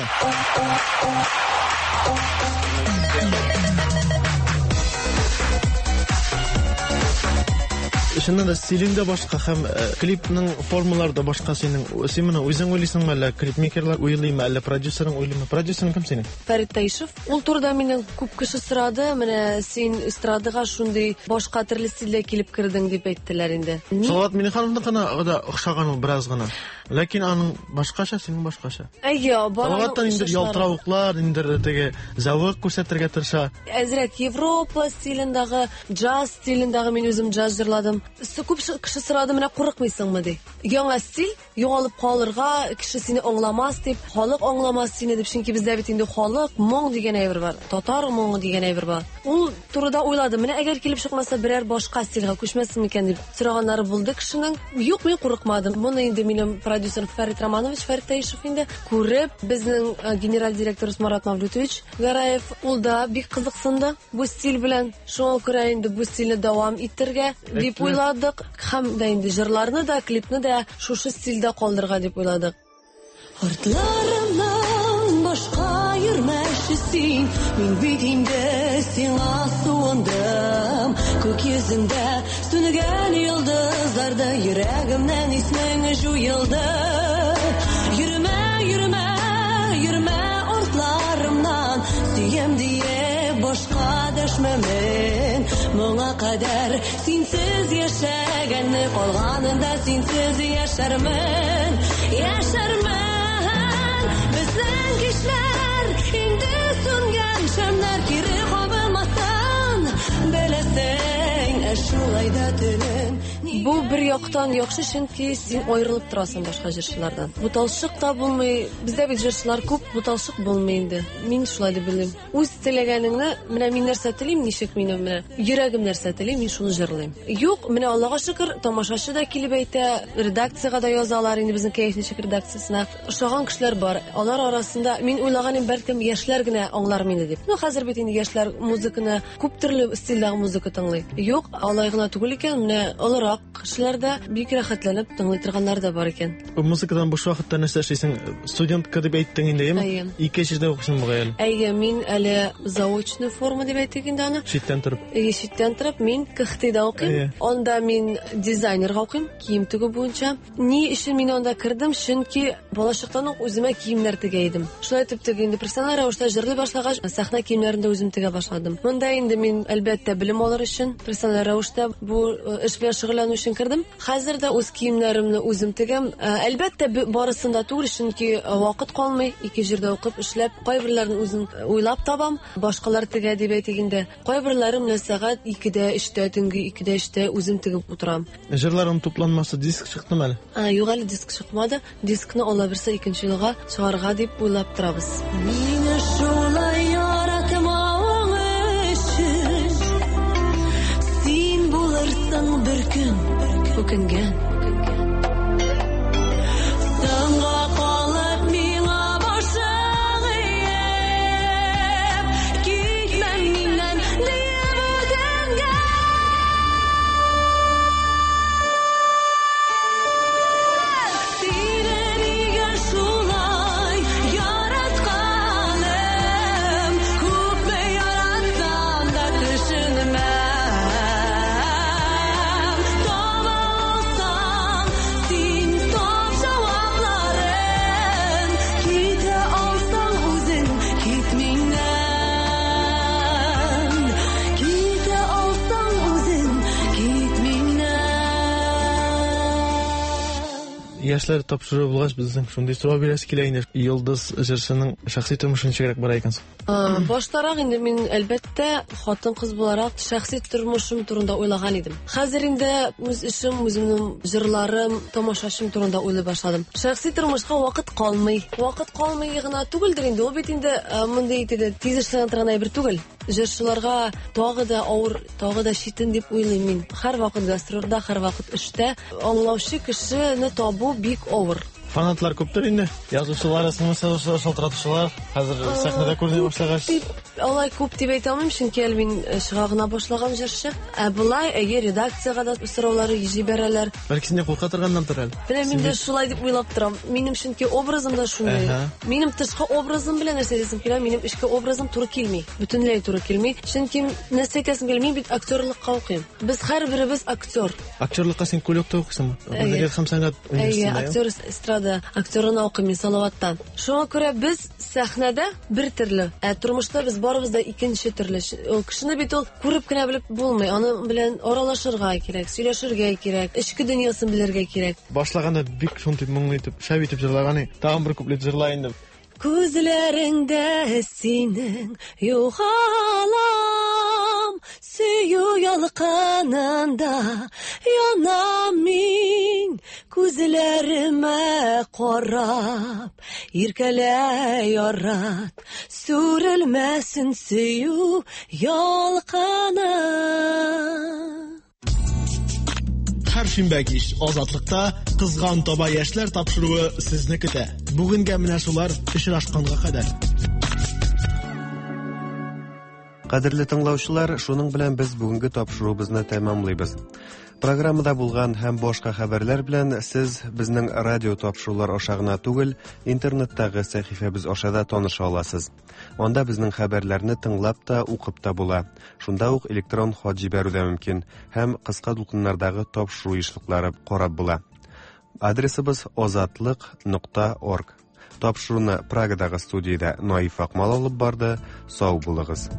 Чыннан да стилең дә башка һәм клипның формалары да башка синең. Син моны үзең уйлыйсыңмы, әллә клипмейкерлар уйлыймы, әллә продюсерың уйлыймы? Продюсерың кем синең? Фәрит Таишев. Ул турыда миннән күп кеше сорады. Менә син эстрадага шундый башка төрле стильдә килеп кердең дип әйттеләр инде. Салават Миңнехановныкына да охшаган ул бераз гына. Ләкин аның башкача, синең башкача. Әйе, бар. Салаваттан инде ялтыравыклар, инде теге зәвык күрсәтергә тырыша. Әзрәк Европа стилендәге, джаз стилендәге мин үзем джаз җырладым. Күп кеше сорады, менә курыкмыйсыңмы ди. Яңа стиль, Югалып калырга, кеше сине аңламас дип, халык аңламас сине дип, чөнки бездә бит инде халык моң дигән әйбер бар, татар моңы дигән әйбер бар. Ул турыда уйладым. Менә әгәр килеп чыкмаса, берәр башка стильгә күчмәсен микән дип сораганнары булды кешенең. Юк, мин курыкмадым. Моны инде минем продюсер Фәрит Романович, Фәрит Таишев инде күреп, безнең генераль директорыбыз Марат Мавлютович Гараев, ул да бик кызыксынды бу стиль белән. Шуңа күрә инде бу стильне дәвам итәргә дип уйладык. Һәм дә инде җырларны да, клипны да шушы стильдә калдырырга дип уйладык. Артларымнан башка йөрмәшче син, мин бит инде сиңа суындым. Күк йөзендә сүнгән йолдызларда йөрәгемнән исмең җуелды. Йөрмә, йөрмә, йөрмә артларымнан, сөям диеп башка дәшмәмен. Моңа кадәр синсез яшәгәнне, калганында синсез яшәрмен, яшәрмен. Безнең кичләр инде сүнгән шәмнәр кире кабылмасын, беләсең, ә шулай да төнем. Бу бер яктан яхшы, чөнки син аерылып торасың башка җырчылардан. Буталчык та булмый. Бездә бит җырчылар күп, буталчык булмый инде. Мин шулай дип беләм. Үз теләгәнеңне, менә мин нәрсә телим, ничек минем менә йөрәгем нәрсә тели, мин шуны җырлыйм. Юк, менә Аллага шөкер, тамашачы да килеп әйтә, редакциягә дә язалар инде безнең Кәеф ничек редакциясенә. Ошаган кешеләр бар. Алар арасында мин уйлаган идем, бәлкем яшьләр генә аңлар мине дип. Ну, хәзер бит инде яшьләр музыканы, күп төрле стильдәге музыка тыңлый. Юк, алай гына түгел икән, менә олырак кешеләр дә бик рәхәтләнеп тыңлый торганнар да бар икән. Музыкадан буш вакытта нәрсә эшлисең? Студентка дип әйттең инде, әйеме? Ике җирдә укыйсың бугай әле. Әйе, мин әле заочный форма дип әйтик инде аны. Читтән торып. Әйе, читтән торып мин КХТда укыйм. Анда мин дизайнерга укыйм, кием тегү буенча. Ни өчен мин анда кердем? Чөнки балачактан ук үземә киемнәр тегә идем. Шулай итеп теге инде профессиональ рәвештә җырлый башлагач, сәхнә киемнәрен дә үзем тегә башладым. Монда инде мин әлбәттә белем алыр өчен профессиональ рәвештә бу эш белән шөгыльләнү өчен кердем. Хәзер дә үз киемнәремне үзем тегәм. Әлбәттә, барысын да түгел, чөнки вакыт калмый. Ике җирдә укып, эшләп, кайберләрен үзем уйлап табам, башкалар тегә дип әйтик инде. Кайберләрен менә сәгать икедә, өчтә, төнге икедә, өчтә үзем тегеп утырам. Җырларың тупланмасы диск чыктымы әле? А, юк, әле диск чыкмады. Дискны ала берсе икенче елга чыгарга дип уйлап торабыз. Мине шулай яратмавың өчен син булырсың бер көн үкенгән. Соңга калып миңа башың иеп, китмә миннән диеп үтенгән. Сине нигә шулай яратканым, күпме яратсам да төшенмәм. Таба алсаң, син тап җавапларын, китә алсаң үзең, кит миннән. Китә алсаң үзең, кит миннән. Яшьләр тапшыру булгач, безнең шундый сорау бирәсе килә инде. Йолдыз җырчының шәхси тормышы ничегрәк бара икән соң? Баштарак инде мин әлбәттә хатын-кыз буларак шәхси тормышым турында уйлаган идем. Хәзер инде үз эшем, үземнең җырларым, тамашачым турында уйлый башладым. Шәхси тормышка вакыт калмый. Вакыт калмый гына түгелдер инде. Ул бит инде мондый теге тиз эшләнә торган әйбер түгел. Җырчыларга тагы да авыр, тагы да читен дип уйлыйм мин. Һәрвакыт гастрольдә, һәрвакыт эштә аңлаучы кешене табу бик авыр. Фанатлар күптер инде. Язучылар, смс язучылар, шалтыратучылар хәзер сәхнәдә күренә башлагач. Алай күп дип әйтә алмыйм, чөнки әле мин чыга гына башлаган җырчы. Ә болай, әйе, редакциягә дә сораулары җибәрәләр. Бәлки сине курка торганнандыр әле. Менә мин дә шулай дип уйлап торам. Минем чөнки образым да шундый. Минем тышкы образым белән нәрсә әйтәсем килә, минем эчке образым туры килми. Бөтенләй туры килми. Чөнки нәрсә әйтәсем килә, мин бит актерлыкка укыйм. Без һәрберебез актер. Актерлыкка син Көлөктә укыйсыңмы? Мәдәният һәм сәнгать университетында. Әйе, актер эстрада актерына укыйм мин Салаваттан. Шуңа күрә без сәхнәдә бер төрле, ә тормышта без барыбыз да икенче төрле. Ул кешене бит ул күреп кенә белеп булмый. Аның белән аралашырга кирәк, сөйләшергә кирәк, эчке дөньясын белергә кирәк. Башлаганда бик шундый моңлы итеп, шәп итеп җырлаган, тагын бер куплет җырла инде. Күзләреңдә синең югалам, Янам сөю ялкынында, янам мин күзләремә карап. Иркәлә, ярат, сүрелмәсен сөю ялкыны. Һәр шимбә кич Азатлыкта Кызган таба яшьләр тапшыруы сезне көтә. Бүгенгә менә шулар, очрашканга кадәр. Кадерле тыңлаучылар, шуның белән без бүгенге тапшыруыбызны тәмамлыйбыз. Программада булган һәм башка хәбәрләр белән сез безнең радио тапшырулар аша гына түгел, интернеттагы сәхифәбез аша да таныша аласыз. Анда безнең хәбәрләрне тыңлап та, укып та була. Шунда ук электрон хат җибәрү дә мөмкин һәм кыска дулкыннардагы тапшыру ешлыклары карап була. Адресыбыз озатлык нокта орг. Тапшыруны Прагадагы студиядә Наиф Акмал алып барды. Сау булыгыз.